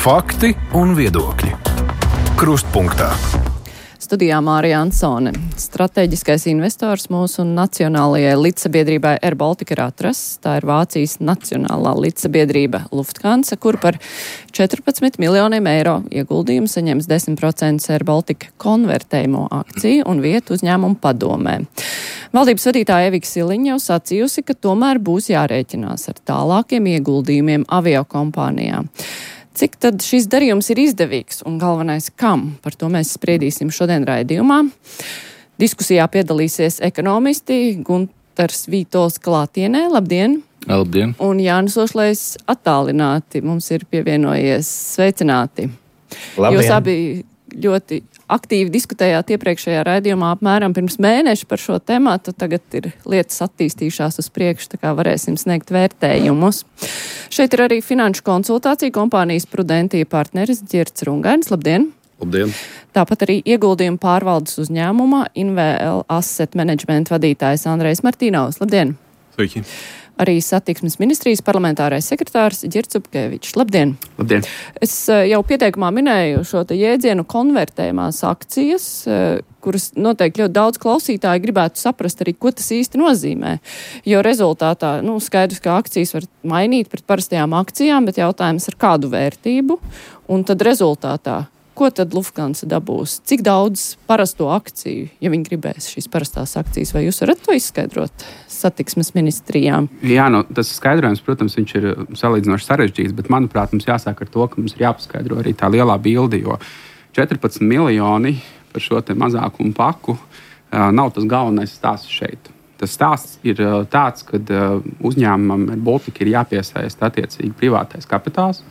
Fakti un viedokļi. Krustpunktā. Studijā Mārija Ansone. Strateģiskais investors mūsu nacionālajai līdzsabiedrībai Air Baltica ir atrasts. Tā ir Vācijas nacionālā līdzsabiedrība Lufthansa, kur par 14 miljoniem eiro ieguldījumu saņems 10% Air Baltica konvertējumu akciju un vietu uzņēmumu padomē. Valdības vadītāja Evika Siliņa jau sacījusi, ka tomēr būs jārēķinās ar tālākiem ieguldījumiem aviokompānijā. Cik tad šis darījums ir izdevīgs un galvenais kam? Par to mēs spriedīsim šodien raidījumā. Diskusijā piedalīsies ekonomisti Guntars Vītols klātienē. Labdien! Labdien! Un Jānis Ošlejs attālināti mums ir pievienojies. Sveicināti! Labdien. Jūs abi ļoti aktīvi diskutējāt iepriekšējā raidījumā apmēram pirms mēneša par šo tematu. Tagad ir lietas attīstījušās uz priekšu, tā kā varēsim sniegt vērtējumus. Šeit ir arī finanšu konsultācija kompānijas Prudentija partneris Ģirts Rungainis. Labdien! Labdien! Tāpat arī ieguldījumu pārvaldes uzņēmumā INVL Asset Management vadītājs Andrejs Martīnovs. Labdien! Sveiki! Arī satiksmes ministrijas parlamentārais sekretārs Ģirts Upkevičs. Labdien! Labdien! Es jau pieteikumā minēju šo te jēdzienu konvertējumās akcijas, kuras noteikti ļoti daudz klausītāji gribētu saprast arī, ko tas īsti nozīmē. Jo rezultātā, skaidrs, ka akcijas var mainīt pret parastajām akcijām, bet jautājums ar kādu vērtību, un tad rezultātā, ko tad Lufthansa dabūs? Cik daudz parasto akciju, ja viņi gribēs šīs parastās akcijas, vai jūs varat to izskaidrot satiksmes ministrijām? Jā, tas skaidrojums, protams, viņš ir salīdzinoši sarežģīts, bet, manuprāt, mums jāsāk ar to, ka mums ir jāpaskaidro arī tā lielā bilde, jo 14 miljoni par šo te mazākumu paku nav tas galvenais stāsts šeit. Tas stāsts ir tāds, ka uzņēmumam Air Baltica ir jāpiesaista attiecīgi privātais kapitāls.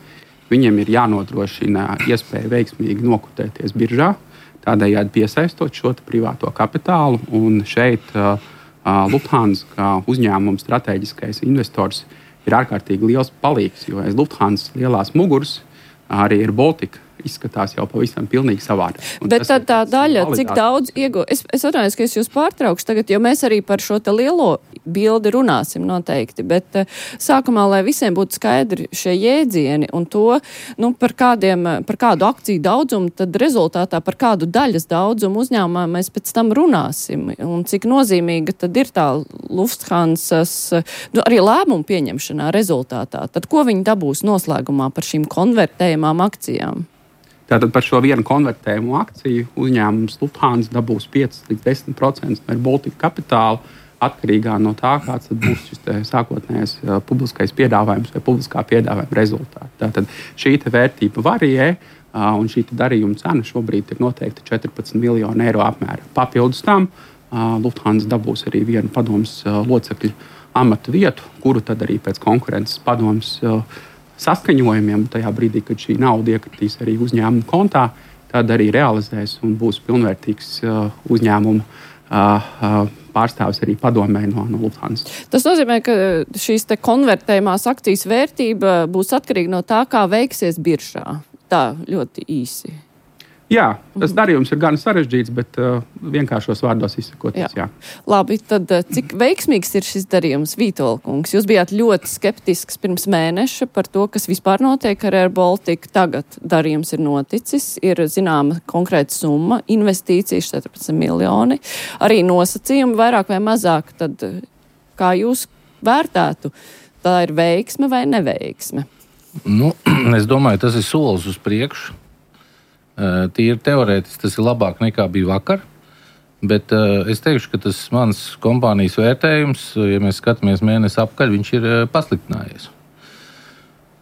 Viņiem ir jānodrošina iespēja veiksmīgi nokotēties biržā, tādējādi piesaistot šo privāto kapitālu. Un šeit Lufthansa kā uzņēmuma strateģiskais investors ir ārkārtīgi liels palīgs, jo aiz Lufthansa lielās muguras arī Air Baltica izskatās jau pavisam pilnīgi savādi. Bet tad tā daļa, cik daudz es atvainojos, ka es jūs pārtraukšu tagad, jo mēs arī par šo te lielo bildi runāsim noteikti, bet sākumā, lai visiem būtu skaidri šie jēdzieni un to, par kādu akciju daudzumu, tad rezultātā par kādu daļas daudzumu uzņēmumā mēs pēc tam runāsim. Un cik nozīmīga tad ir tā Lufthansas, arī lēmumu pieņemšanā rezultātā. Tad ko viņi dabūs noslēgumā par šīm konvertējumām akcijām? Tātad par šo vienu konvertējumu akciju uzņēmums Lufthansa dabūs 5 līdz 10% no Air Baltica kapitāla, atkarīgā no tā, kāds būs šis sākotnējais publiskais piedāvājums vai publiskā piedāvājuma rezultāti. Tātad šī vērtība varijē, un šī darījuma cena šobrīd ir noteikti 14 miljonu eiro apmērā. Papildus tam Lufthansa dabūs arī vienu padomes locekļu amatu vietu, kuru tad arī pēc konkurences padomes saskaņojumiem, tajā brīdī, kad šī nauda iekritīs arī uzņēmuma kontā, tad arī realizēs un būs pilnvērtīgs uzņēmuma pārstāvis arī padomē no Lufthansa. Tas nozīmē, ka šīs te konvertējumās akcijas vērtība būs atkarīga no tā, kā veiksies biržā. Tā ļoti īsi. Jā, tas darījums ir gan sarežģīts, bet vienkāršos vārdos izsakoties, jā. Labi, tad cik veiksmīgs ir šis darījums, Vītola kungs? Jūs bijāt ļoti skeptisks pirms mēneša par to, kas vispār notiek ar Air Baltica. Tagad darījums ir noticis, ir zināma konkrēta summa, investīcijas 14 miljoni, arī nosacījumi vairāk vai mazāk. Tad kā jūs vērtētu, tā ir veiksme vai neveiksme? Es domāju, tas ir solis uz priekšu. Tīri teorētiski tas ir labāk nekā bija vakar, bet es teikšu, ka tas mans kompānijas vērtējums, ja mēs skatāmies mēnesi apkaļ, viņš ir pasliktinājies.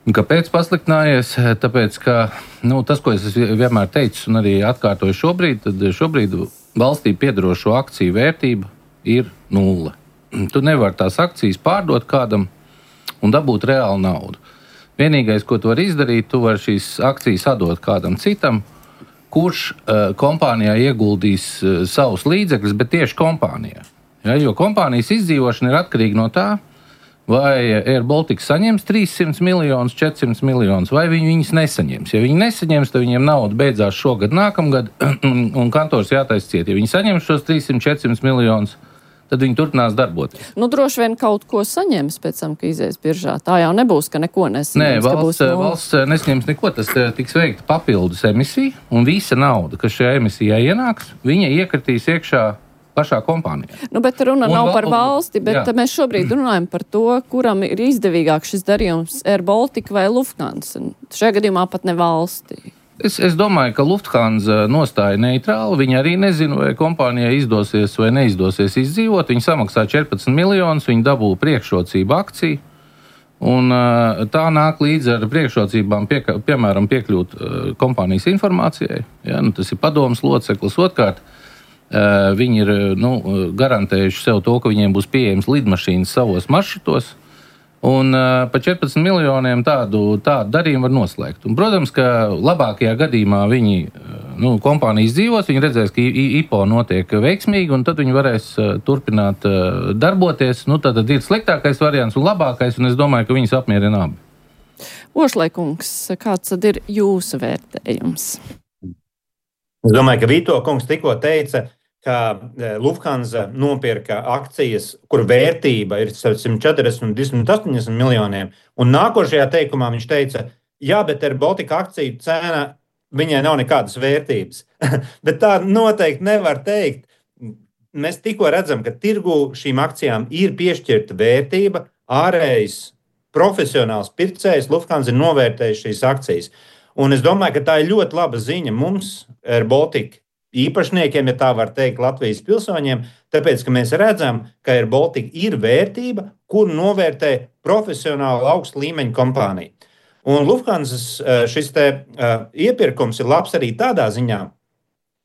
Un kāpēc pasliktinājies? Tāpēc, ka tas, ko es vienmēr teicu un arī atkārtoju šobrīd, tad šobrīd valstī piedarošo akciju vērtība ir 0. Tu nevari tās akcijas pārdot kādam un dabūt reālu naudu. Vienīgais, ko tu vari izdarīt, tu vari šīs akcijas atdot kādam citam, kurš kompānijā ieguldīs savus līdzekļus, bet tieši kompānijā. Ja, jo kompānijas izdzīvošana ir atkarīga no tā, vai Air Baltica saņems 300 miljonus, 400 miljonus, vai viņi viņus nesaņems. Ja viņi nesaņems, tad viņiem nauda beidzās šogad, nākamgad, un kantors jātaisa ciet. Ja viņi saņems šos 300, 400 miljonus, tad viņi turpinās darboties. Droši vien kaut ko saņems pēc tam, ka izies biržā. Tā jau nebūs, ka neko nesaņems. Nē, valsts nesaņems neko, tas tiks veikta papildus emisija, un visa nauda, kas šajā emisijā ienāks, viņa iekritīs iekšā pašā kompānijā. Bet runa nav par valsti, bet mēs šobrīd runājam par to, kuram ir izdevīgāk šis darījums Air Baltica vai Lufthansa. Šajā gadījumā pat ne valstī. Es domāju, ka Lufthansa nostāja neitrāli. Viņi arī nezina, vai kompānijai izdosies vai neizdosies izdzīvot. Viņi samaksā 14 miljonus, viņi dabū priekšrocību akciju. Un tā nāk līdz ar priekšrocībām, piemēram, piekļūt kompānijas informācijai. Ja, tas ir padomas loceklis. Otrkārt, viņi ir garantējuši sev to, ka viņiem būs pieejams lidmašīnas savos maršrutos. Un par 14 miljoniem tādu darījumu var noslēgt. Un, protams, ka labākajā gadījumā viņi kompānijas dzīvos, viņi redzēs, ka IPO notiek veiksmīgi, un tad viņi varēs turpināt darboties. Tad ir sliktākais variants un labākais, un es domāju, ka viņus apmierina abi. Ošlaikungs, kāds tad ir jūsu vērtējums? Es domāju, ka Vito kungs tikko teica, ka Lufthansa nopirka akcijas, kur vērtība ir 140 un 280 miljoniem. Un nākošajā teikumā viņš teica, jā, bet Air Baltica akciju cena, viņai nav nekādas vērtības. Bet tā noteikti nevar teikt. Mēs tikko redzam, ka tirgu šīm akcijām ir piešķirta vērtība, ārējs profesionāls pircējs Lufthansa ir novērtējis šīs akcijas. Un es domāju, ka tā ir ļoti laba ziņa mums, Air Baltica īpašniekiem, ja tā var teikt, Latvijas pilsoņiem, tāpēc, ka mēs redzam, ka Air Baltica ir vērtība, kur novērtē profesionāli augsta līmeņa kompānija. Un Lufthansas šis iepirkums ir labs arī tādā ziņā,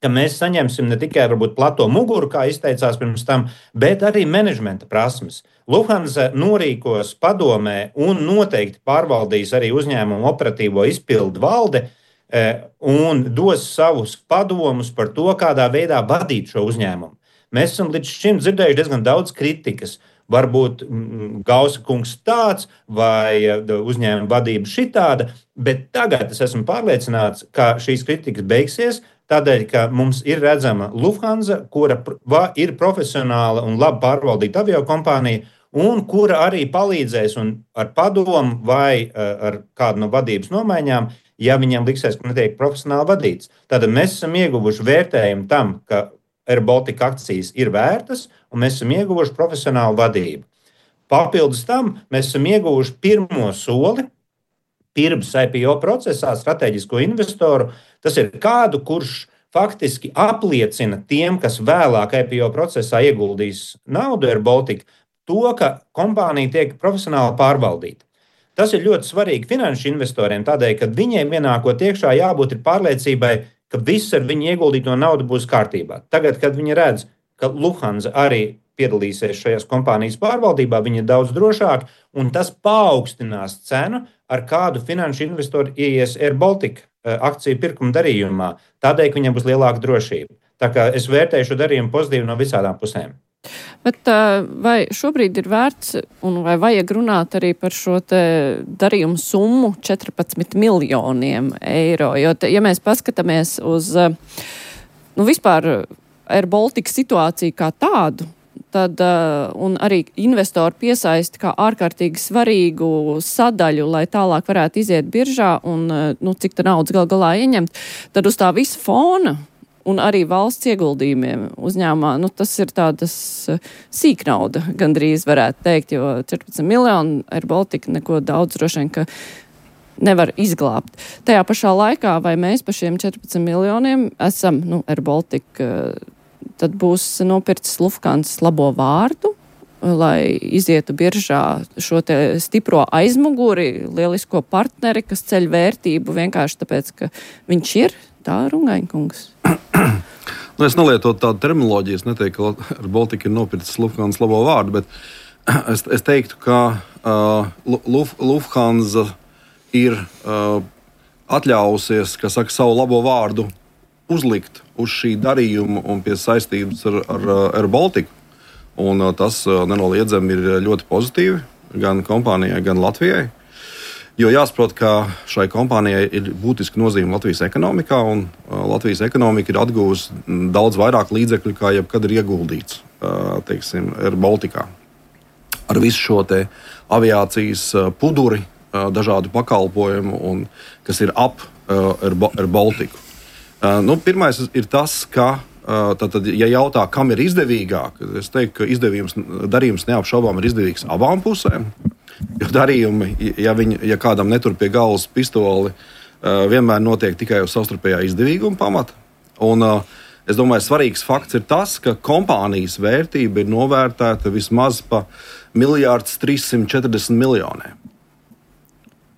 ka mēs saņemsim ne tikai varbūt plato muguru, kā izteicās pirms tam, bet arī menedžmenta prasmes. Lufthansa norīkos padomē un noteikti pārvaldīs arī uzņēmumu operatīvo izpildu valde, un dos savus padomus par to, kādā veidā vadīt šo uzņēmumu. Mēs esam līdz šim dzirdējuši diezgan daudz kritikas. Varbūt Gausa kungs tāds vai uzņēmuma vadība šitāda, bet tagad es esmu pārliecināts, ka šīs kritikas beigsies, tādēļ, ka mums ir redzama Lufthansa, kura ir profesionāla un labi pārvaldīta aviokompānija, un kura arī palīdzēs un ar padomu vai ar kādu no vadības nomaiņām, ja viņiem liksies, ka netiek profesionāli vadīts. Tad mēs esam ieguvuši vērtējumu tam, ka Air Baltica akcijas ir vērtas, un mēs esam ieguvuši profesionālu vadību. Papildus tam mēs esam ieguvuši pirmo soli pirms IPO procesā strateģisko investoru. Tas ir kādu, kurš faktiski apliecina tiem, kas vēlāk IPO procesā ieguldīs naudu Air Baltica, to, ka kompānija tiek profesionāli pārvaldīta. Tas ir ļoti svarīgi finanšu investoriem, tādēļ, ka viņiem ienākot iekšā jābūt pārliecībai, ka viss ar viņu ieguldīto naudu būs kārtībā. Tagad, kad viņi redz, ka Lufthansa arī piedalīsies šajās kompānijas pārvaldībā, viņi ir daudz drošāki, un tas paaugstinās cenu, ar kādu finanšu investoru ieies Air Baltica akciju pirkuma darījumā. Tādēļ, ka viņiem būs lielāka drošība. Tā kā es vērtēju šo darījumu pozitīvi no visādām pusēm. Bet vai šobrīd ir vērts un vai vajag runāt arī par šo te darījumu summu 14 miljoniem eiro? Jo, ja mēs paskatāmies uz vispār Air Baltica situāciju kā tādu, tad un arī investori piesaisti kā ārkārtīgi svarīgu sadaļu, lai tālāk varētu iziet biržā un cik tā naudas gal galā ieņemt, tad uz tā visa fona un arī valsts ieguldījumiem uzņēmumā, tas ir tādas sīknauda, gandrīz varētu teikt, jo 14 miljoni Air Baltica neko daudz droši vien, ka nevar izglābt. Tajā pašā laikā, vai mēs par šiem 14 miljoniem esam, Air Baltica, tad būs nopircis Lufthansa labo vārdu, lai izietu biržā šo te stipro aizmuguri, lielisko partneri, kas ceļ vērtību vienkārši tāpēc, ka viņš ir. Tā Rungaņkungs. Es nelietotu tādu terminoloģiju, es neteiktu, ka Air Baltica ir nopircis Lufthansa labo vārdu, bet es teiktu, ka Lufthansa ir atļausies, savu labo vārdu uzlikt uz šī darījuma un pie saistības ar Air Baltica. Un tas nenoliedzami ir ļoti pozitīvi gan kompānijai, gan Latvijai. Jo jāsaprot, ka šai kompānijai ir būtiska nozīme Latvijas ekonomikā, un Latvijas ekonomika ir atguvusi daudz vairāk līdzekļu, kā jebkad ir ieguldīts teiksim, Air Balticā. Ar visu šo te aviācijas puduri, dažādu pakalpojumu, kas ir ap Air Baltiku. Pirmais ir tas, ka, tātad, ja jautā, kam ir izdevīgāk, es teiktu, ka darījums neapšaubām ir izdevīgs abām pusēm. Jo darījumi, ja kādam netur pie galvas pistoli, vienmēr notiek tikai uz savstarpējā izdevīguma pamata. Un es domāju, svarīgs fakts ir tas, ka kompānijas vērtība ir novērtēta vismaz pa 1,340 miljoniem.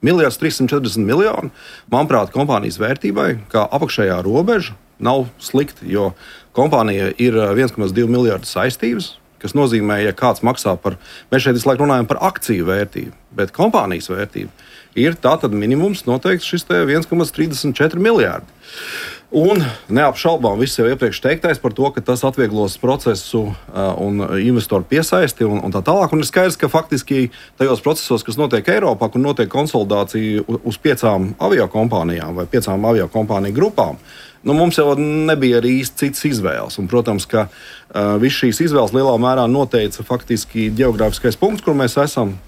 1,340 miljoni, manuprāt, kompānijas vērtībai, kā apakšējā robeža, nav slikti, jo kompānija ir 1,2 miljardu saistības, kas nozīmē, ja kāds maksā par, mēs šeit visu laiku runājam par akciju vērtību, bet kompānijas vērtība ir tātad minimums noteikti šis 1,34 miljārdi. Un neapšaubām viss jau iepriekš teiktais par to, ka tas atvieglos procesu un investoru piesaisti un tā tālāk. Un ir skaidrs, ka faktiski tajos procesos, kas notiek Eiropā, kur notiek konsolidācija uz 5 aviokompānijām vai 5 aviokompāniju grupām, mums jau nebija arī īsti citas izvēles. Un, protams, ka viss šīs izvēles lielā mērā noteica faktiski geogrāfiskais punkts, kur mēs esam,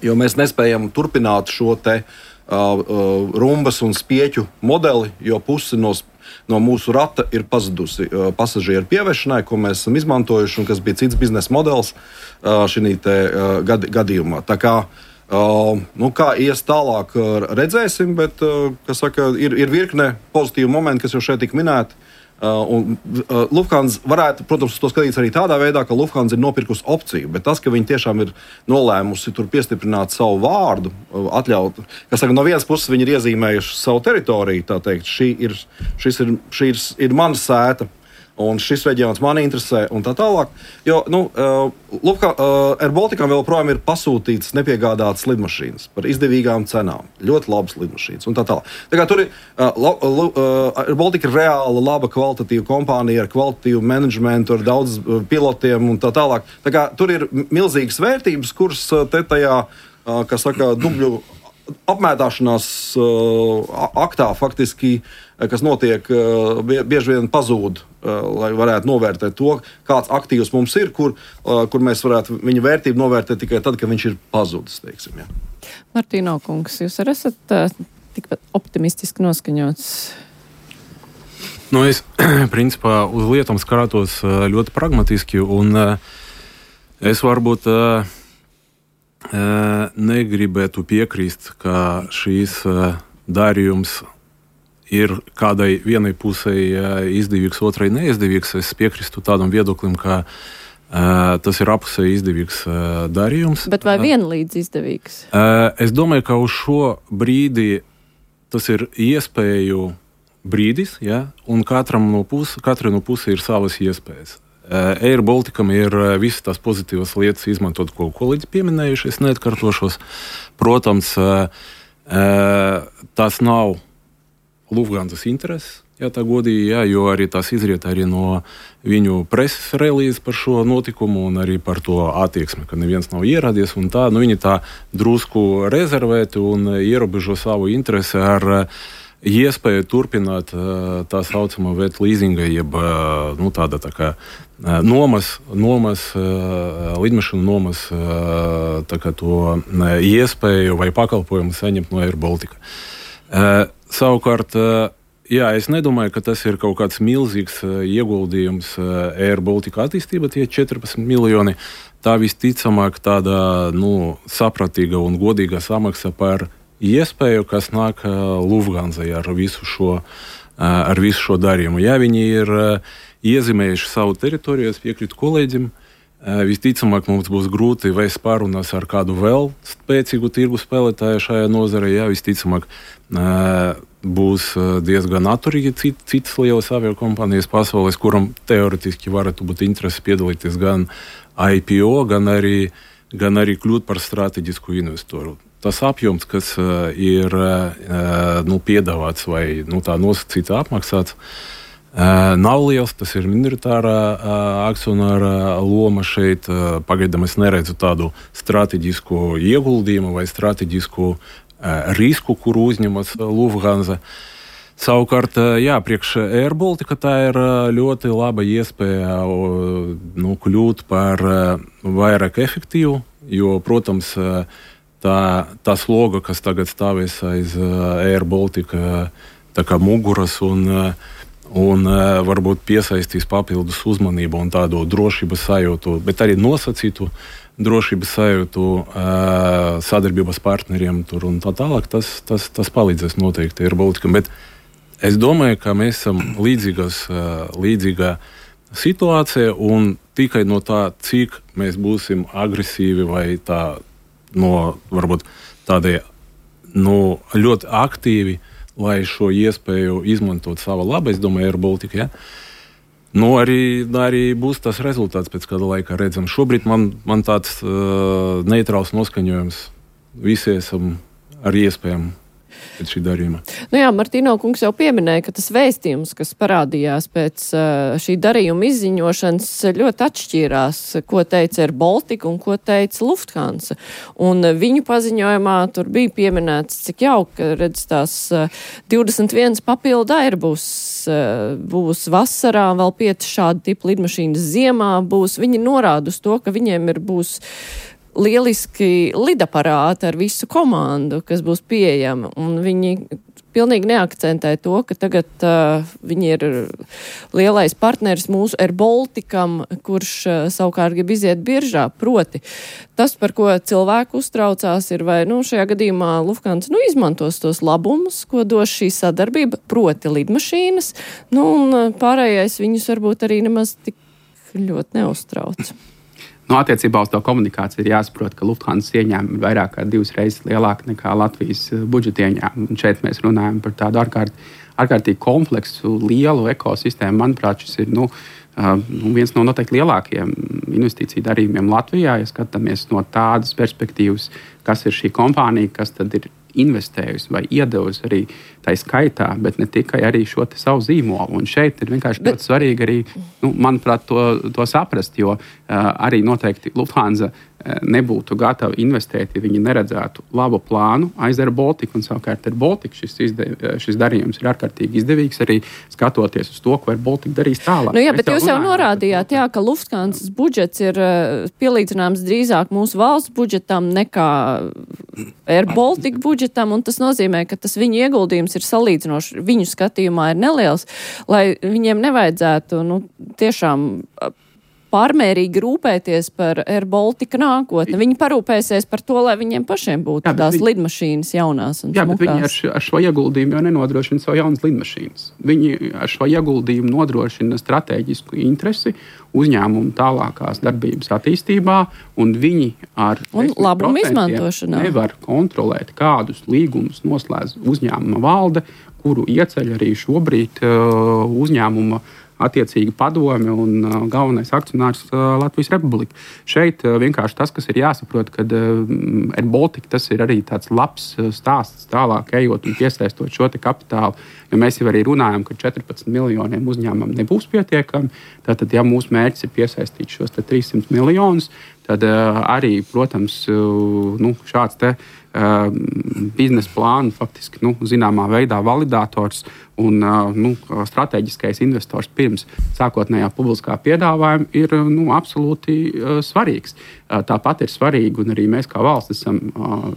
jo mēs nespējam turpināt šo te rumbas un spieķu modeli, jo pusi no mūsu rata ir pazudusi pasažieru pievešanai, ko mēs esam izmantojuši un kas bija cits biznesa modelis šī gadījumā. Tā kā, kā ies tālāk, redzēsim, bet ir virkne pozitīvu momentu, kas jau šeit tika minēti. Lufthansa varētu, protams, to skatīties arī tādā veidā, ka Lufthansa ir nopirkusi opciju, bet tas, ka viņi tiešām ir nolēmusi tur piestiprināt savu vārdu, atļaut, no vienas puses viņi ir iezīmējuši savu teritoriju, tā teikt, šī ir mana sēta, un šis reģions man interesē, un tā tālāk. Jo, Air Balticam vēl projām ir pasūtītas nepiegādātas lidmašīnas par izdevīgām cenām. Ļoti labas lidmašīnas, un tā tālāk. Tā kā tur ir Air Baltica ir reāla, laba, kvalitatīva kompānija ar kvalitatīvu menedžmentu, ar daudz pilotiem un tā tālāk. Tā kā tur ir milzīgas vērtības, kuras te tajā, dubļu apmētāšanās aktā faktiski, kas notiek, bieži vien pazūd, lai varētu novērtēt to, kāds aktīvs mums ir, kur mēs varētu viņa vērtību novērtēt tikai tad, kad viņš ir pazudis, teiksim. Ja. Martīno kungs, jūs arī esat tikpat optimistiski noskaņots? Es, principā, uz lietām skatos ļoti pragmatiski, un es varbūt negribētu piekrist, ka šīs darījums ir kādai vienai pusē izdevīgs, otrai neizdevīgs. Es piekrīstu tādam viedoklim, ka tas ir apusēji izdevīgs darījums. Bet vai vienlīdz izdevīgs? Es domāju, ka uz šo brīdi tas ir iespēju brīdis, ja? Un katrai no puses ir savas iespējas. Air Balticam ir visas tās pozitīvas lietas izmantot, ko kolēģis pieminējuši, es neatkārtošos. Protams, tas nav Lufthansas intereses, ja tā godīgi, ja, jo arī tas izriet arī no viņu preses relīzes par šo notikumu un arī par to attieksmi, ka neviens nav ieradies un tā. Viņi tā drusku rezervēti un ierobežo savu interesi ar iespēju turpināt tā saucamā wet leasinga, jeb tāda tā kā nomas, lidmašanu nomas tā kā to iespēju vai pakalpojumu saņemt no Air Baltica. Savukārt, es nedomāju, ka tas ir kaut kāds milzīgs ieguldījums Air Baltica attīstība, tie 14 miljoni. Tā visticamāk tāda sapratīga un godīga samaksa par iespēju, kas nāk Lufthansai ar visu šo darījumu. Ja viņi ir iezīmējuši savu teritoriju, es piekrītu kolēģim, visticamāk mums būs grūti vēst pārunas ar kādu vēl spēcīgu tirgu spēlētāju šajā nozarē. Ja, visticamāk būs diezgan atturīgi citas lielas aviokompānijas pasaules, kuram teoretiski varētu būt interesi piedalīties gan IPO, gan arī kļūt par strateģisku investoru. Tas apjoms, kas ir piedāvāts vai tā nosacīts apmaksāts, nav liels. Tas ir minoritārā akcionāra loma šeit. Pagaidām es neredzu tādu strateģisku ieguldījumu vai strateģisku risku, kuru uzņemas Lufthansa. Savukārt, priekš Air Baltica tā ir ļoti laba iespēja kļūt par vairāk efektīvu, jo, protams, tā sloga, kas tagad stāvēs aiz Air Baltica tā kā muguras un varbūt piesaistīs papildus uzmanību un tādu drošības sajūtu, bet arī nosacītu drošības sajūtu sadarbības partneriem tur un tā tālāk, tas palīdzēs noteikti Air Baltica. Bet es domāju, ka mēs esam līdzīgā situācijā un tikai no tā, cik mēs būsim agresīvi vai varbūt tādie ļoti aktīvi, lai šo iespēju izmantot sava laba, es domāju, Air Baltica, ja? Arī būs tas rezultāts pēc kāda laika redzam. Šobrīd man tāds neitrāls noskaņojums. Visi esam ar iespējām pēc šī darījuma. Martīno kungs jau pieminēja, ka tas vēstījums, kas parādījās pēc šī darījuma izziņošanas, ļoti atšķīrās, ko teica Air Baltica un ko teica Lufthansa. Un viņu paziņojumā tur bija pieminēts, cik jauka, redz, tās 21 papildu Airbus būs vasarā, vēl 5 šādi tipu lidmašīnas ziemā būs. Viņi norāda uz to, ka viņiem būs lieliski lidaparāti ar visu komandu, kas būs pieejama, un viņi pilnīgi neakcentē to, ka tagad viņi ir lielais partneris mūsu Air Balticam, kurš savukārt grib iziet biržā. Proti, tas, par ko cilvēku uztraucās, ir vai šajā gadījumā Lufthansa izmantos tos labumus, ko dos šī sadarbība, proti lidmašīnas, un pārējais viņus varbūt arī nemaz tik ļoti neuztrauc. Attiecībā uz to komunikāciju ir jāsaprot, ka Lufthansa ieņēmumi ir vairāk kā 2 reizes lielāki nekā Latvijas budžeta ieņēmumi. Šeit mēs runājam par tādu ārkārtīgi kompleksu, lielu ekosistēmu. Manuprāt, šis ir viens no noteikti lielākajiem investīciju darījumiem Latvijā. Ja skatāmies no tādas perspektīvas, kas ir šī kompānija, kas tad ir investējusi vai iedevusi arī tā skaitā, bet ne tikai arī šo savu zīmolu. Un šeit ir vienkārši ļoti svarīgi arī, manuprāt, to saprast, jo arī noteikti Lufthansa nebūtu gatava investēt, ja viņi neredzētu labu plānu aiz Air Baltica, un savukārt Air Baltica šis darījums ir ārkārtīgi izdevīgs arī skatoties uz to, ko Air Baltica darīs tālāk. Bet jūs jau norādījāt, ka Lufthansas budžets ir pielīdzināms drīzāk mūsu valsts budžetam nekā Air Baltica budžetam, un tas nozīmē, ka tas viņu ieguldījums ir salīdzinoši, viņu skatījumā ir neliels, lai viņiem nevajadzētu tiešām pārmērīgi rūpēties par Air Baltica nākotni. Viņi parūpēsies par to, lai viņiem pašiem būtu tās lidmašīnas jaunās un smukās. Bet viņi ar šo ieguldījumu jau nenodrošina savu jaunas lidmašīnas. Viņi ar šo ieguldījumu nodrošina strateģisku interesi uzņēmumu tālākās darbības attīstībā, un viņi ar labumu izmantošanā nevar kontrolēt, kādus līgumus noslēdz uzņēmuma valde, kuru ieceļ arī šobrīd uzņēmuma attiecīgi padome un galvenais akcionārs Latvijas Republika. Šeit vienkārši tas, kas ir jāsaprot, kad Air Baltica tas ir arī tāds labs stāsts tālāk ejot un piesaistot šo kapitālu, jo mēs jau arī runājam, ka 14 miljoniem uzņēmumam nebūs pietiekami. Tātad, ja mūsu mērķis ir piesaistīt šos 300 miljonus, tad arī, protams, šāds biznesa plānu faktiski zināmā veidā validators un strateģiskais investors pirms sākotnējā publiskā piedāvājuma ir absolūti svarīgs. Tāpat ir svarīgi, un arī mēs kā valsts esam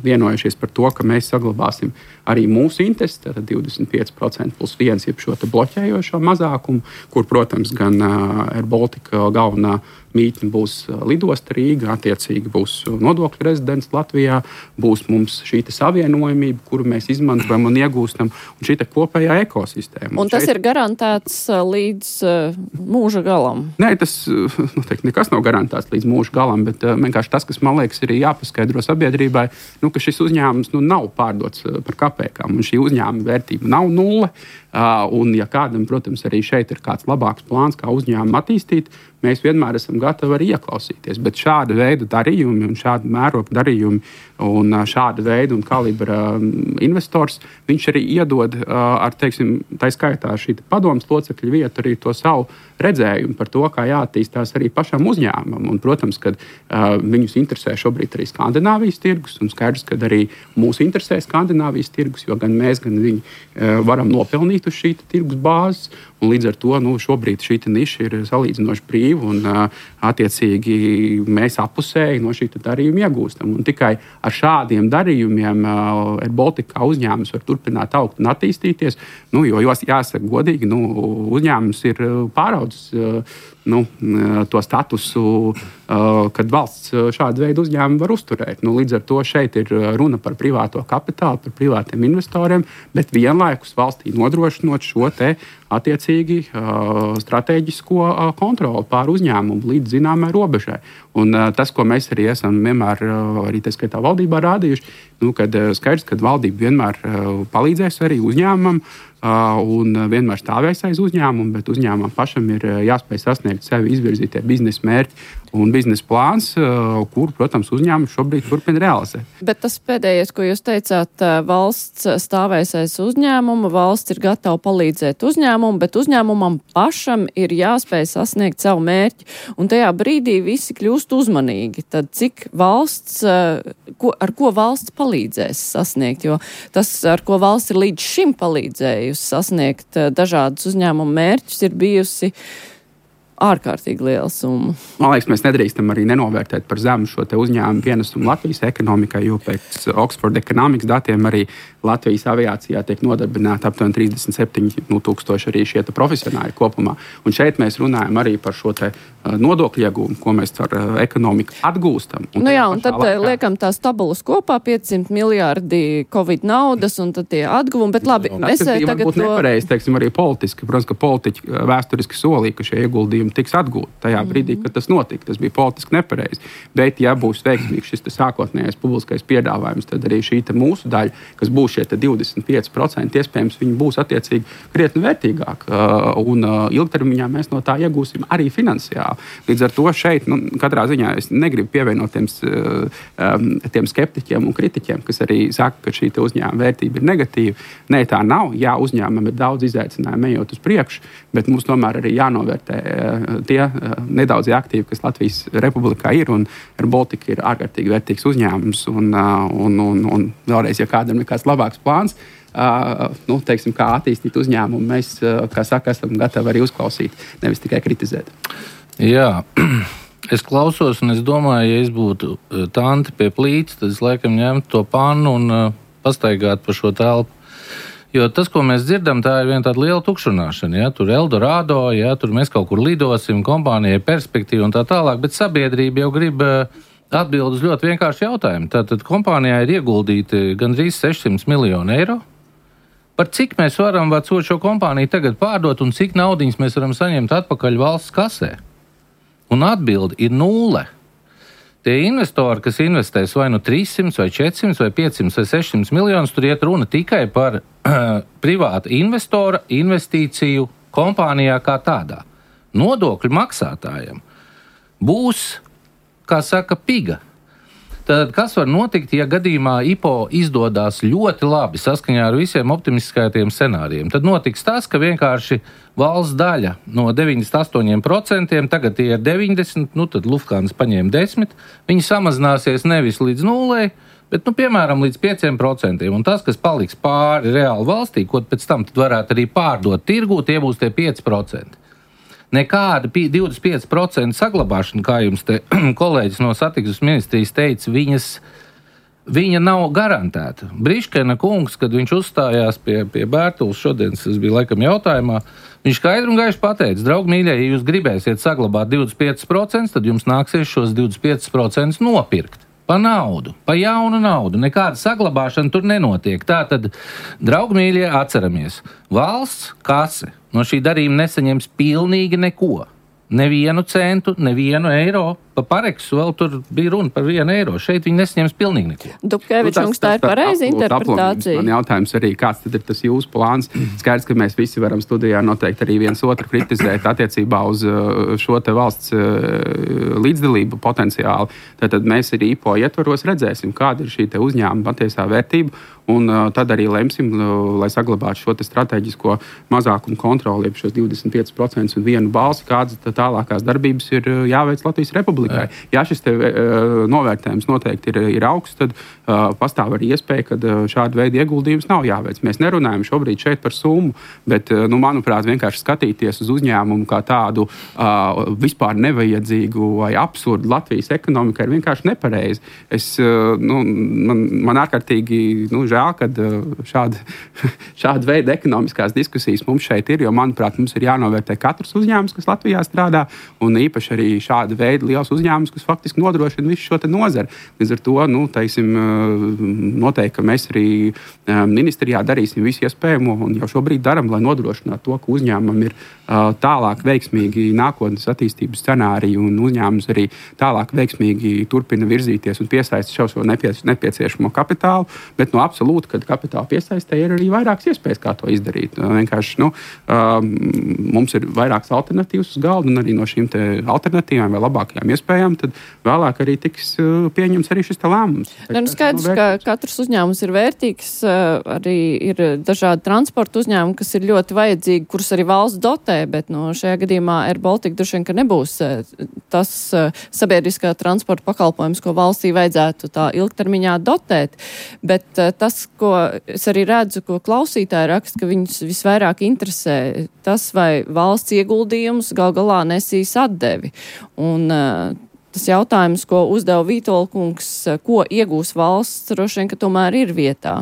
vienojušies par to, ka mēs saglabāsim arī mūsu intereses, tātad 25% plus 1, jeb šo bloķējošo mazākumu, kur, protams, gan Air Baltica galvenā mītne būs lidosta Rīga, attiecīgi būs nodokļu rezidents Latvijā, būs mums šī savienojamība, kuru mēs izmantojam un iegūstam, un šī kopējā ekosistēma. Un tas ir garantēts līdz mūža galam? Nē, tas noteikti nekas nav garantēts līdz mūža galam, bet vienkārši tas, kas man liekas ir jāpaskaidro sabiedrībai, ka šis uzņēmums nav pārdots par kapēkām, un šī uzņēmuma vērtība nav nulle. Un, ja kādam, protams, arī šeit ir kāds labāks plāns, kā uzņēmumu attīstīt, mēs vienmēr esam gatavi arī ieklausīties. Bet šāda veida darījumi un šāda mēroga darījumi un šāda veida un kalibra investors, viņš arī iedod ar, teiksim, tā skaitā šī padomas locekļu vietu arī to savu redzējumu par to, kā jāattīstās arī pašam uzņēmumam. Un, protams, kad viņus interesē šobrīd arī Skandināvijas tirgus, un skaidrs, ka arī mūs interesē Skandināvijas tirgus, jo gan mēs, gan viņi varam nopelnīt uz šī tirgus bāzes. Un līdz ar to šobrīd šī niša ir salīdzinoši brīva, un attiecīgi mēs appusēji no šī darījuma iegūstam. Un tikai ar šādiem darījumiem AirBaltica uzņēmums var turpināt augt un attīstīties, jo jāsaka godīgi, uzņēmums ir pāraudzis to statusu, kad valsts šādu veidu uzņēmumu var uzturēt. Līdz ar to šeit ir runa par privāto kapitālu, par privātiem investoriem, bet vienlaikus valstī nodrošinot šo te attiecīgi strateģisko kontroli pār uzņēmumu līdz zināmai robežai. Un tas, ko mēs arī esam vienmēr arī tā skaitā valdībā rādījuši, kad skaidrs, ka valdība vienmēr palīdzēs arī uzņēmumam un vienmēr stāvēs aiz uzņēmumu, bet uzņēmumam pašam ir jāspēj sasniegt sevi izvirzītie biznesa mērķi un biznesa plāns, kur, protams, uzņēmums šobrīd turpina realizēt. Bet tas pēdējais, ko jūs teicāt, valsts stāvēs aiz uzņēmumu, valsts ir gatava palīdzēt uzņēmumu, bet uzņēmumam pašam ir jāspēj sasniegt savu mērķi. Un tajā brīdī visi kļūst uzmanīgi. Tad cik valsts, ar ko valsts palīdzēs sasniegt? Jo tas, ar ko valsts ir līdz šim palīdzējusi sasniegt dažādus uzņēmumu mērķus, ir bijusi ārkārtīgi liela summa. Man liekas, mēs nedrīkstam arī nenovērtēt par zemu šo te uzņēmumu pienesumu Latvijas ekonomikai, jo pēc Oxford Economics datiem arī Latvijas aviācijā tiek nodarbināti aptuveni 37,000 arī šie profesionāļi kopumā. Un šeit mēs runājam arī par šo te nodokļu iegūmu, ko mēs ar ekonomiku atgūstam. Un tad liekam tās tabulas kopā, 500 miljārdi Covid naudas, un tad tie atguvumi, bet labi. Tas varbūt nepareizi, teiksim, arī politiski. Protams, ka politiķi vēsturiski solīja, ka šie ieguldījumi tiks atgūti tajā brīdī, kad tas notika. Tas bija politiski nepareizi. Bet, ja būs veiksmīgs šis sākotnējais publiskais piedāvājums, tad arī šī mūsu daļa, kas būs šie 25%, iespējams, viņi būs attiecīgi krietni vērtīgāk. Un ilgtermiņā mēs no tā iegūsim arī finansiāli. Līdz ar to šeit, katrā ziņā es negribu pievienot tiem skeptiķiem un kritiķiem, kas arī saka, ka šī uzņēmuma vērtība ir negatīva. Nē, tā nav. Jā, uzņēmumam ir daudz izaicinājumu ejot uz priekšu, bet mums tomēr arī jānovērtē tie nedaudzie aktīvi, kas Latvijas Republikā ir, un AirBaltica ir ārkārtīgi vērtīgs uzņēmums, un vēlreiz, ja kādam ir kāds labāks plāns, teiksim, kā attīstīt uzņēmumu, mēs, kā saka, esam gatavi arī uzklausīt, nevis tikai kritizēt. Jā, es klausos, un es domāju, ja es būtu tanti pie plīts, tad es laikam ņemtu to pannu un pastaigātu pa šo telpu. Jo tas, ko mēs dzirdam, tā ir viena tāda liela tukšunāšana. Ja? Tur Eldorado, ja? Tur mēs kaut kur lidosim, kompānijai perspektīva un tā tālāk, bet sabiedrība jau grib atbild uz ļoti vienkāršu jautājumu. Tātad kompānijā ir ieguldīti gandrīz 600 miljoni eiro. Par cik mēs varam vecot šo kompāniju tagad pārdot un cik naudiņas mēs varam saņemt atpakaļ valsts kasē? Un atbildi ir 0. Tie investori, kas investēs vai 300, vai 400, vai 500, vai 600 miljonus, tur iet runa tikai par privāta investora investīciju kompānijā kā tādā. Nodokļu maksātājiem būs, kā saka, piga. Tad kas var notikt, ja gadījumā IPO izdodas ļoti labi saskaņā ar visiem optimistiskajiem scenārijiem? Tad notiks tas, ka vienkārši valsts daļa no 98%, tagad tie ir 90%, tad Lufthansa paņēma 10%, viņi samazināsies nevis līdz 0%, bet, piemēram, līdz 5%. Un tas, kas paliks pāri reāli valstī, ko pēc tam varētu arī pārdot tirgū, tie būs tie 5%. Nekāda 25% saglabāšana, kā jums te kolēģis no satiksmes ministrijas teica, viņa nav garantēta. Briškena kungs, kad viņš uzstājās pie Bērtules šodien, tas bija laikam jautājumā, viņš skaidri un gaiši pateica, draugi mīļie, ja jūs gribēsiet saglabāt 25%, tad jums nāksies šos 25% nopirkt. Pa naudu, pa jaunu naudu. Nekāda saglabāšana tur nenotiek. Tātad, draugi mīļie, atceramies, valsts kase no šī darījuma nesaņems pilnīgi neko. Nevienu centu, nevienu eiro pa Pareksu vēl tur bija runa par 1 eiro. Šeit viņi nesņems pilnīgi neko. Dubkevičs, tā ir pareiza interpretācija. Man jautājums arī, kāds tad ir tas jūsu plāns? Skaidrs, ka mēs visi varam studijā noteikti arī viens otru kritizēt attiecībā uz šo te valsts līdzdalību potenciāli. Tātad mēs arī IPO ietvaros redzēsim, kāda ir šī te uzņēmuma patiesā vērtība. Un tad arī lemsim, lai saglabātu šo strateģisko mazākumu kontroli, šos 25% un 1 balsi, kādas tālākās darbības ir jāveic Latvijas Republikai. Ja šis novērtējums noteikti ir augsts, tad pastāv arī iespēja, ka šāda veida ieguldījums nav jāveic. Mēs nerunājam šobrīd šeit par summu, bet, manuprāt, vienkārši skatīties uz uzņēmumu kā tādu vispār nevajadzīgu vai absurdu Latvijas ekonomikai ir vienkārši nepareizi. Man ārkārtīgi žēl, kad šāda veida ekonomiskās diskusijas mums šeit ir, jo, manuprāt, mums ir jānovērtē katrs uzņēmums, kas Latvijā strādā, un īpaši arī šāda veida liels uzņēmums, kas faktiski nodrošina visu šo nozari. Līdz ar to, noteikti, ka mēs arī ministrijā darīsim visu iespējamo, un jau šobrīd daram, lai nodrošinātu to, ka uzņēmumam ir tālāk veiksmīgi nākotnes attīstības scenāriju, un uzņēmums arī tālāk veiksmīgi turpina virzīties un piesaista šo nepieciešamo kapitālu, bet absolūti, kad kapitāla piesaistē ir arī vairākas iespējas, kā to izdarīt. Vienkārši mums ir vairākas alternatīvas uz galda, un arī no šīm alternatīvām vai labākajām iespējām tad vēlāk arī tiks pieņemts arī šis lēmums. Skaidrs, ka katrs uzņēmums ir vērtīgs, arī ir dažādi transporta uzņēmumi, kas ir ļoti vajadzīgi, kurus arī valsts dotē, bet šajā gadījumā Air Baltica droši vien, ka nebūs tas sabiedriskā transporta pakalpojums, ko valstī vajadzētu tā ilgtermiņā dotēt. Bet tas, ko es arī redzu, ko klausītāji raksta, ka viņus visvairāk interesē tas, vai valsts ieguldījums gal galā nesīs atdevi. Un tas jautājums, ko uzdeva Vītola kungs, ko iegūs valsts, droši vien, ka tomēr ir vietā.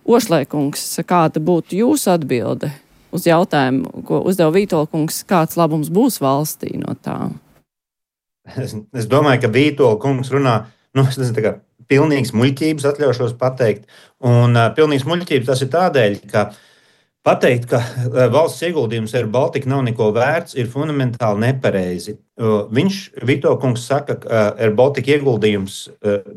Ošlē kungs, kāda būtu jūsu atbilde uz jautājumu, ko uzdeva Vītola kungs, kāds labums būs valstī no tā? Es domāju, ka Vītola kungs runā, pilnīgs muļķības, atļaušos pateikt. Un pilnīgs muļķības tas ir tādēļ, ka pateikt, ka valsts ieguldījums Air Baltica nav neko vērts, ir fundamentāli nepareizi. Vītola kungs saka, ka Air Baltica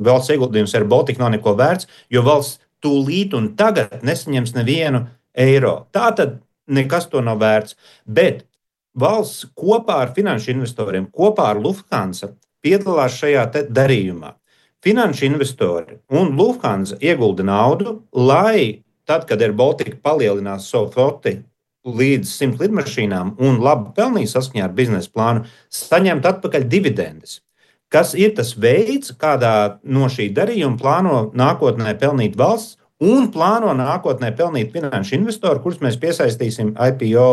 valsts ieguldījums Air Baltica nav neko vērts, jo valsts tūlīt un tagad nesaņems nevienu eiro. Tātad nekas to nav vērts. Bet valsts kopā ar finanšu investoriem, kopā ar Lufthansa piedalās šajā darījumā. Finanšu investori un Lufthansa iegulda naudu, lai tad, kad Air Baltica palielinās savu floti līdz 100 lidmašīnām un labi pelnīs saskaņā ar biznesa plānu, saņemt atpakaļ dividendes. Kas ir tas veids, kādā no šī darījuma plāno nākotnē pelnīt valsts un plāno nākotnē pelnīt finanšu investoru, kurus mēs piesaistīsim IPO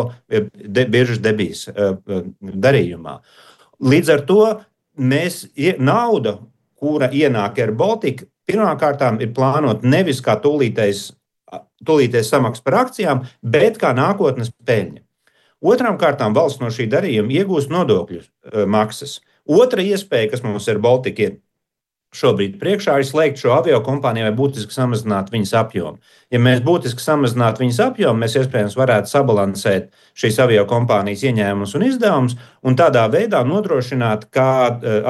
biržas debijas darījumā. Līdz ar to nauda, kura ienāk Air Baltica, pirmkārtām ir plānot nevis kā tūlītējs samaksa par akcijām, bet kā nākotnes peļņa. Otrām kārtām valsts no šī darījuma iegūst nodokļu maksas. Otra iespēja, kas mums Air Baltica ir šobrīd priekšā, ir slēgt šo aviokompāniju vai būtiski samazināt viņas apjomu. Ja mēs būtiski samazinātu viņas apjomu, mēs iespējams varētu sabalansēt šīs aviokompānijas ieņēmumus un izdevumus un tādā veidā nodrošināt, kā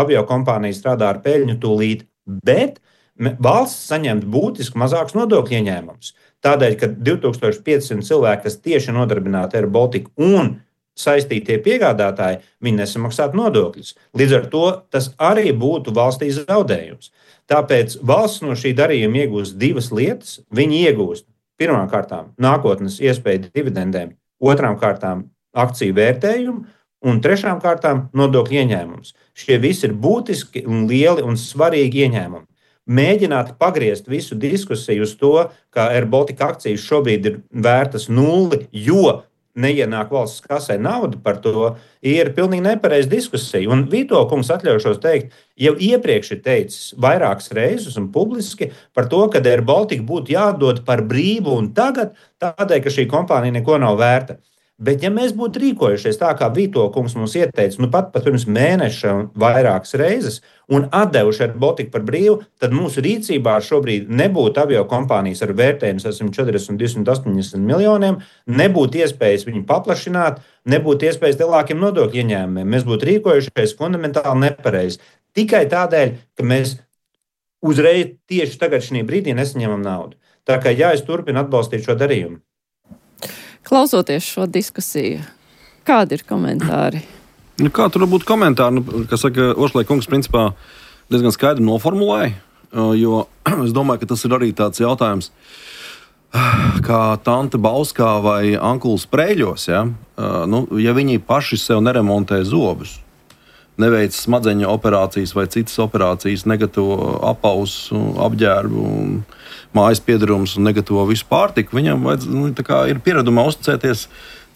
aviokompānija strādā ar peļņu tūlīt, bet valsts saņemt būtiski mazākus nodokļu ieņēmumus. Tādēļ, ka 2500 cilvēki, kas tieši nodarbināti Air Baltica un saistītie piegādātāji, viņi nesamaksātu nodokļus. Līdz ar to tas arī būtu valstī zaudējums. Tāpēc valsts no šī darījuma iegūst divas lietas. Viņi iegūst pirmām kārtām nākotnes iespēju dividendēm, otrām kārtām akciju vērtējumu un trešām kārtām nodokļu ieņēmumus. Šie visi ir būtiski un lieli un svarīgi ieņēmumi. Mēģināt pagriezt visu diskusiju uz to, ka Air Baltica akcijas šobrīd ir vērtas 0, jo neienāk valsts kasē nauda par to, ir pilnīgi nepareiza diskusija. Un Vītola kungs, atļaušos teikt, jau iepriekš ir teicis vairākas reizes un publiski par to, ka Air Baltica būtu jādod par brīvu un tagad, tādēļ, ka šī kompānija neko nav vērta. Bet, ja mēs būtu rīkojušies tā, kā Vito kungs mums ieteica, pat pirms mēneša vairākas reizes, un atdevuši AirBaltic par brīvu, tad mūsu rīcībā šobrīd nebūtu aviokompānijas ar vērtējumu 140 un 280 miljoniem, nebūtu iespējas viņu paplašināt, nebūtu iespējas lielākiem nodokļu ieņēmumiem. Mēs būtu rīkojušies fundamentāli nepareizi. Tikai tādēļ, ka mēs uzreiz tieši tagad šī brīdī nesaņemam naudu. Tā kā es turpinu atbalstīt šo darījumu. Klausoties šo diskusiju, kādi ir komentāri? Kā tur būtu komentāri? Kas saka, Ošlai kungs principā diezgan skaidri noformulēja, jo es domāju, ka tas ir arī tāds jautājums, kā tante Bauskā vai Ankuls Prēļos, ja? Ja viņi paši sev neremontē zobus, neveic smadzeņu operācijas vai citas operācijas, negatavo apausu, apģērbu, mājas piedarumus un negatavo visu pārtiku, viņam ir pieredumā uzticēties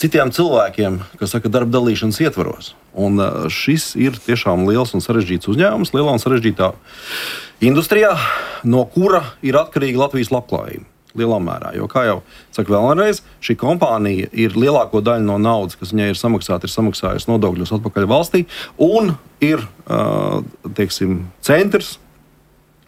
citiem cilvēkiem, kas saka, darba dalīšanas ietvaros. Un šis ir tiešām liels un sarežģīts uzņēmums, lielā un sarežģītā industrijā, no kura ir atkarīga Latvijas labklājība. Lielā mērā. Jo, kā jau saka vēlreiz, šī kompānija ir lielāko daļu no naudas, kas viņai ir samaksājusi nodokļus atpakaļ valstī, un ir centrs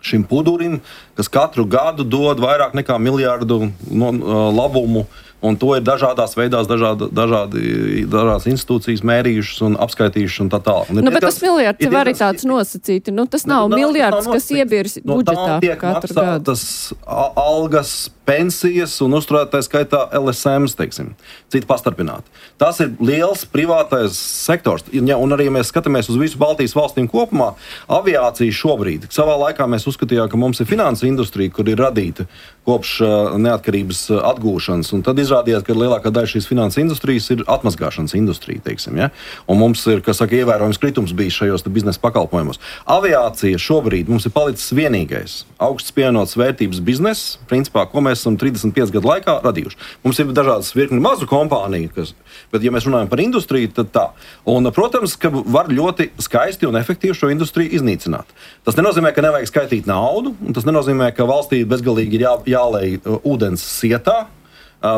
šim pudurim, kas katru gadu dod vairāk nekā miljardu labumu. Un to ir dažādās veidās, dažādas institūcijas mērījušas un apskaitījušas un tā tālāk. Bet tas miljards var arī tāds nosacīti. Tas nav miljards, kas iebirs budžetā katru gadu. Tas algas, pensijas un uzturētais skaitā LSMs, teiksim, citi pastarpināti. Tas ir liels privātais sektors. Un arī, ja mēs skatāmies uz visu Baltijas valstīm kopumā, aviācija šobrīd. Savā laikā mēs uzskatījām, ka mums ir finansu industrija, kur ir radīta kopš neatkarības atgūšanas. Un tad izrādījās, ka lielākā daļa šīs finansu industrijas ir atmazgāšanas industrija, teiksim, ja? Un mums ir, kas saka, ievērojams kritums bijis šajos biznesa pakalpojumos. Aviācija šobrīd mums ir palicis vienīgais augsts pievienotas vērtības bizness, principā, ko mēs esam 35 gadu laikā radījuši. Mums ir dažādas virkni mazu kompāniju, bet, ja mēs runājam par industriju, tad tā. Un, protams, ka var ļoti skaisti un efektīvi šo industriju iznīcināt. Tas nenozīmē, ka nevajag skaitīt naudu, un tas nenozīmē, ka valstī bezgalīgi ir jālej ūdens sietā,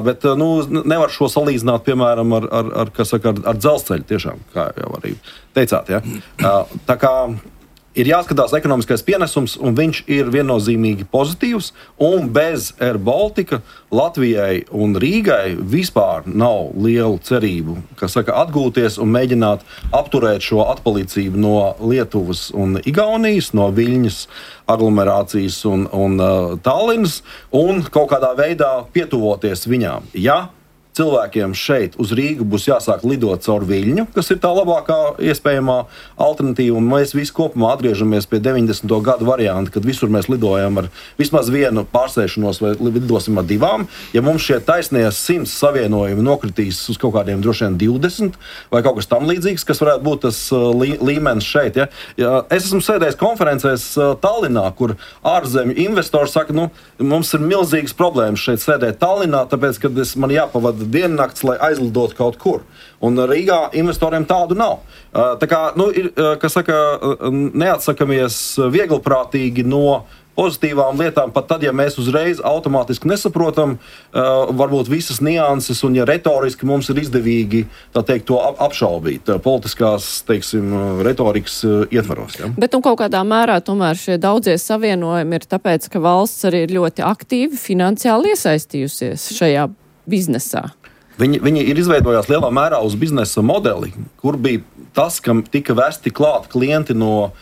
bet nevar šo salīdzināt, piemēram, ar dzelzceļu, tiešām, kā jau arī teicāt. Ja? Tā kā ir jāskatās ekonomiskais pienesums, un viņš ir viennozīmīgi pozitīvs, un bez AirBaltica Latvijai un Rīgai vispār nav lielu cerību, atgūties un mēģināt apturēt šo atpalicību no Lietuvas un Igaunijas, no Viļņas aglomerācijas un Tallinas, un kaut kādā veidā pietuvoties viņām. Ja cilvēkiem šeit uz Rīgu būs jāsāk lidot caur Viļņu, kas ir tā labākā iespējamā alternatīva, un mēs visi kopumā atgriežamies pie 90. gadu varianta, kad visur mēs lidojam ar vismaz vienu pārsēšanos vai lidosim ar divām. Ja mums šie taisnie 100 savienojumi nokritīs uz kaut kādiem droši vien 20 vai kaut kas tam līdzīgs, kas varētu būt tas līmenis šeit. Ja es esmu sēdējis konferencēs Tallinā, kur ārzemju investori saka, mums ir milzīgas problēmas šeit sēdēt Tallinā, tāpēc, kad man jāpavada diennakts, lai aizlidotu kaut kur. Un Rīgā investoriem tādu nav. Tā kā, ir, kas saka, neatsakamies vieglprātīgi no pozitīvām lietām, pat tad, ja mēs uzreiz automātiski nesaprotam, varbūt visas nianses, un ja retoriski mums ir izdevīgi, tā teikt, to apšaubīt politiskās, teiksim, retorikas ietvaros. Ja? Bet kaut kādā mērā tomēr šie daudzie savienojumi ir tāpēc, ka valsts arī ir ļoti aktīvi finansiāli iesaistījusies šajā biznesā. Viņi ir izveidojās lielā mērā uz biznesa modeli, kur bija tas, kam tika vesti klāt klienti no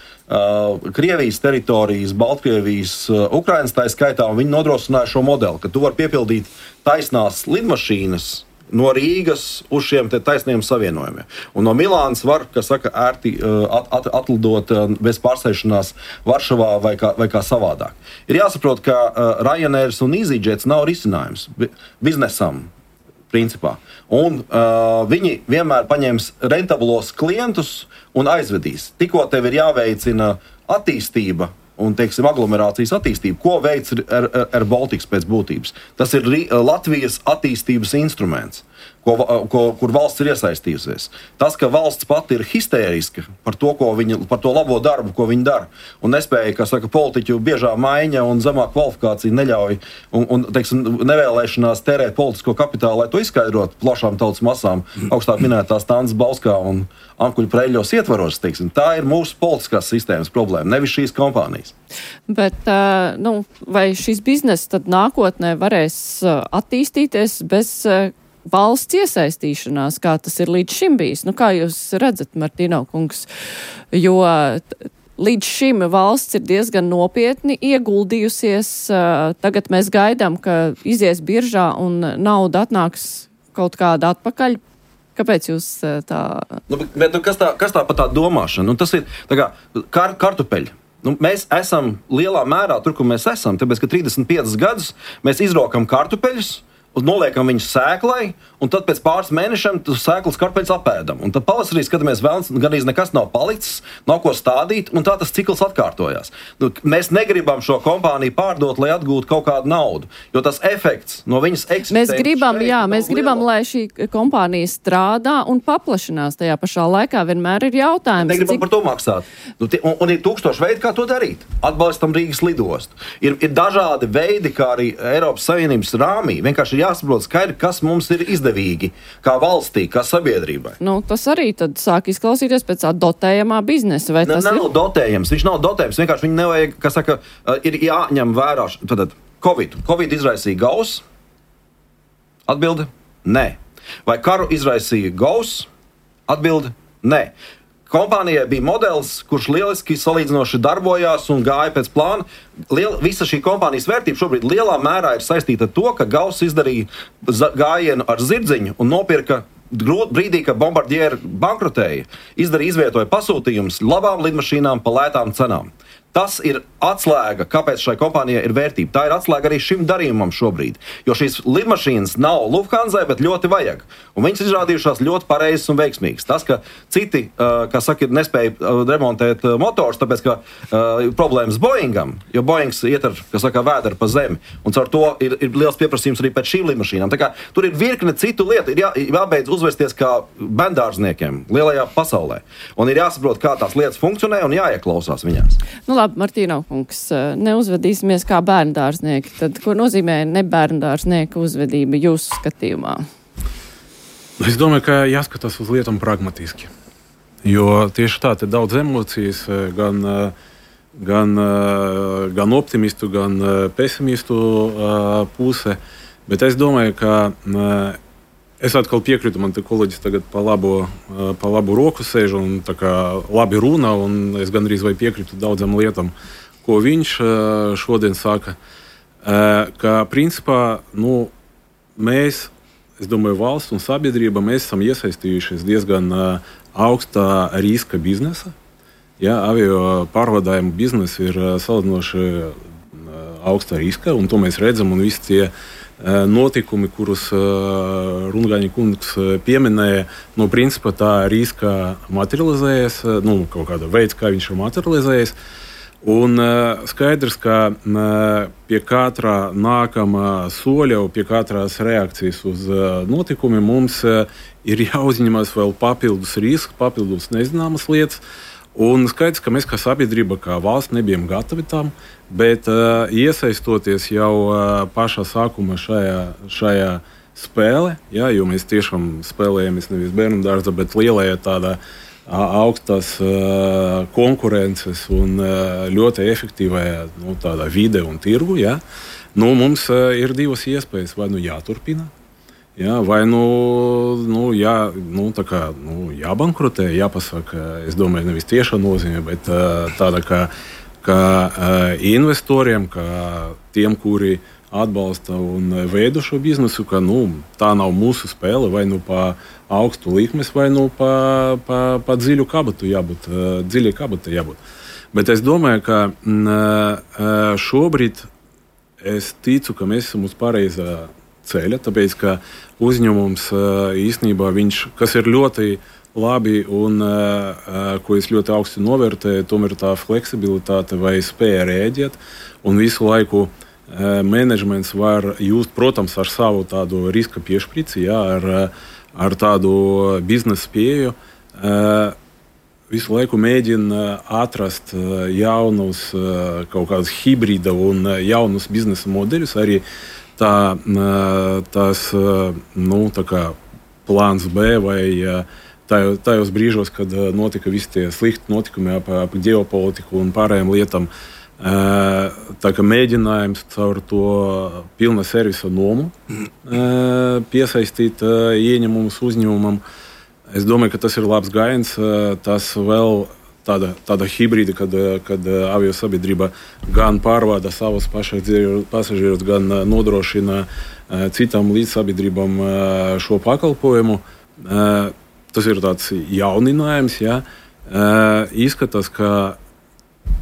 Krievijas teritorijas, Baltkrievijas, Ukrainas tā skaitā, un viņi nodrošināja šo modeli, ka tu vari piepildīt taisnās lidmašīnas no Rīgas uz šiem taisniem savienojumiem. Un no Milānas var, kas saka, ērti atlidot bez pārsēšanās Varšavā vai kā savādāk. Ir jāsaprot, ka Ryanairs un EasyJets nav risinājums biznesam. Principā. Un viņi vienmēr paņems rentablos klientus un aizvedīs. Tikko tev ir jāveicina attīstība un, teiksim, aglomerācijas attīstība, ko veic AirBaltic pēc būtības. Tas ir Latvijas attīstības instruments. kur valsts ir iesaistījusies. Tas, ka valsts pati ir histēriska par to labo darbu, ko viņi dara, un nespēja, kā saka, politiķu biežā maiņa un zemā kvalifikācija neļauj un teiksim, nevēlēšanās tērēt politisko kapitālu, lai to izskaidrotu plašām tautas masām, augstāk minētās Tānas Bauskā un Ankuļu Preļļos ietvaros, teiksim. Tā ir mūsu politiskās sistēmas problēma, nevis šīs kompānijas. Bet, vai šis bizness tad nākotnē varēs attīstīties bez valsts iesaistīšanās, kā tas ir līdz šim bijis? Kā jūs redzat, Martīno kungs, jo līdz šim valsts ir diezgan nopietni ieguldījusies. Tagad mēs gaidām, ka izies biržā un nauda atnāks kaut kāda atpakaļ. Kāpēc jūs tā... Kas tā par tā domāšanu? Tas ir tā kā kartupeļi. Mēs esam lielā mērā tur, kur mēs esam, tāpēc, ka 35 gadus mēs izrokam kartupeļus, un noliekam viņus sēklai, un tad pēc pāris mēnešiem sēklas kartupeļus apēdam. Un tad pavasarī skatāmies vēl, gandrīz nekas nav palicis, nav ko stādīt, un tā tas cikls atkārtojās. Mēs negribam šo kompāniju pārdot, lai atgūtu kaut kādu naudu, jo tas efekts no viņas eksistences... Mēs gribam, lai šī kompānija strādā un paplašinās. Tajā pašā laikā vienmēr ir jautājums. Negribam par to maksāt. Un ir 1000 veidi, kā to darīt. Atbalstam Rīgas lidostu. Ir dažādi veidi, kā arī Eiropas Savienības rāmī. Vienkārši jāsaprot skaidri, kas mums ir izdevīgi, kā valstī, kā sabiedrībai. Tas arī tad sāk izklausīties pēc tā dotējamā biznesa, vai tas nav dotējams, viņš nav dotējams, vienkārši viņu nevajag, kā saka, ir jāņem vērā, tad Covid izraisīja Gauss? Atbilde? Nē. Vai karu izraisīja Gauss? Atbilde? Nē. Kompānijai bija modelis, kurš lieliski salīdzinoši darbojās un gāja pēc plāna. Visa šī kompānijas vērtība šobrīd lielā mērā ir saistīta ar to, ka Gauss izdarīja gājienu ar zirdziņu un nopirka brīdī, kad Bombardieri bankrotēja, izvietoja pasūtījumus labām lidmašīnām pa lētām cenām. Tas ir atslēga, kāpēc šai kompānijai ir vērtība. Tā ir atslēga arī šim darījumam šobrīd. Jo šīs lidmašīnas nav Lufthansai, bet ļoti vajag. Un viņas izrādījušās ļoti pareizas un veiksmīgas. Tas, ka citi, kā saka, nespēja remontēt motors, tāpēc, ka problēmas Boeingam, jo Boeings iet ar, kā saka, vēderi pa zemi. Un caur to ir liels pieprasījums arī pēc šīm lidmašīnām. Tā kā tur ir virkne citu lietu. Ir jābeidz uzvesties kā bērndārzniekiem lielajā pasaulē. Un ir jāsaprot, kā tās lietas funkcionē un jāieklausās viņās. Martīno kungs, neuzvedīsimies kā bērndārznieki. Tad, ko nozīmē nebērndārznieka uzvedība jūsu skatījumā? Es domāju, ka jāskatās uz lietām pragmatiski. Jo tieši tā, te daudz emocijas, gan optimistu, gan pesimistu puse. Bet es domāju, ka es atkal piekrītu, man te kolēģis tagad pa labu roku sēž un tā kā labi runā, un es gandrīz vai piekrītu daudzam lietām, ko viņš šodien saka. Ka principā, mēs, es domāju, valsts un sabiedrība, mēs esam iesaistījušies diezgan augstā riska biznesa. Ja, avio pārvadājumu biznesa ir salīdzinoši augsta riska, un to mēs redzam, un visi tie notikumi, kurus Rungaņa kungs pieminēja, principā tā riska materializējas, kaut kāda veids, kā viņš ir materializējies. Un skaidrs, ka pie katrā nākamā soļa, pie katrās reakcijas uz notikumiem mums ir jāuzņemas vēl papildus risks, papildus nezināmas lietas. Un skaidrs, ka mēs kā sabiedrība, kā valsts nebijam gatavi tam, bet iesaistoties jau pašā sākuma šajā spēlē, ja, jo mēs tiešām spēlējamies nevis bērnu dārza, bet lielajā tādā augstās konkurences un ļoti efektīvajā tādā vide un tirgu, ja, mums ir divas iespējas, vai jāturpina. Jā, vai jābankrotē, jāpasaka, es domāju, nevis tieša nozīme, bet tāda kā investoriem, kā tiem, kuri atbalsta un veido šo biznesu, ka tā nav mūsu spēle, vai pa augstu likmes, vai pa dziļu kabatu jābūt, dziļai kabatai jābūt. Bet es domāju, ka šobrīd es ticu, ka mēs esam uz pareizā ceļa, tāpēc, ka uzņēmums īstenībā kas ir ļoti labi un ko es ļoti augstu novērtēju, tomēr tā fleksibilitāte vai spēja rēģēt un visu laiku menedžments var just, protams, ar savu tādu riska piešprici, jā, ar tādu biznesa pieeju, visu laiku mēģina atrast jaunus, kaut kādus hibrīda un jaunus biznesa modeļus. Arī tās, tā kā plāns B vai tajos brīžos, kad notika visi tie slikti notikumi ap ģeopolitiku un pārējām lietām, tā kā mēģinājums caur to pilna servisa nomu piesaistīt ieņemumus uzņēmumam. Es domāju, ka tas ir labs gājiens. Tas vēl tāda hibrīda, kad aviosabiedrība gan pārvada savus pasažierus, gan nodrošina citām līdzsabiedrībām šo pakalpojumu. Tas ir tāds jauninājums. Ja? Izskatās, ka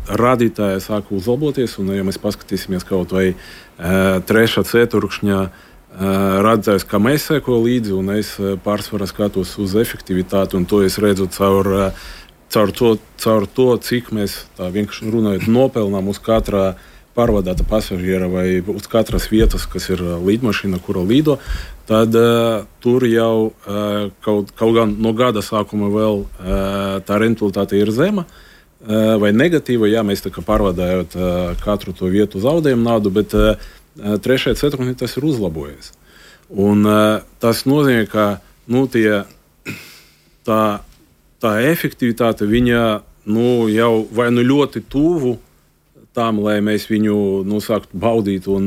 radītāji sāk uzlaboties, un, ja mēs paskatīsimies kaut vai 3. ceturkšņa rādītājs, kā mēs seko līdzi, un es pārsvarā skatos uz efektivitāti, un to es redzu caur to, cik mēs, tā vienkārši runājot, nopelnām uz katrā pārvadāta pasažiera vai uz katras vietas, kas ir līdmašīna, kura lido, tad tur jau kaut gan no gada sākuma vēl tā rentabilitāte ir zema, vai negatīva, jā, mēs tā kā pārvadājot katru to vietu zaudējumu naudu, bet 3. ceturkšņā tas ir uzlabojies. Un tas nozīmē, ka tā efektivitāte viņa jau vai ļoti tuvu tam, lai mēs viņu sāktu baudīt un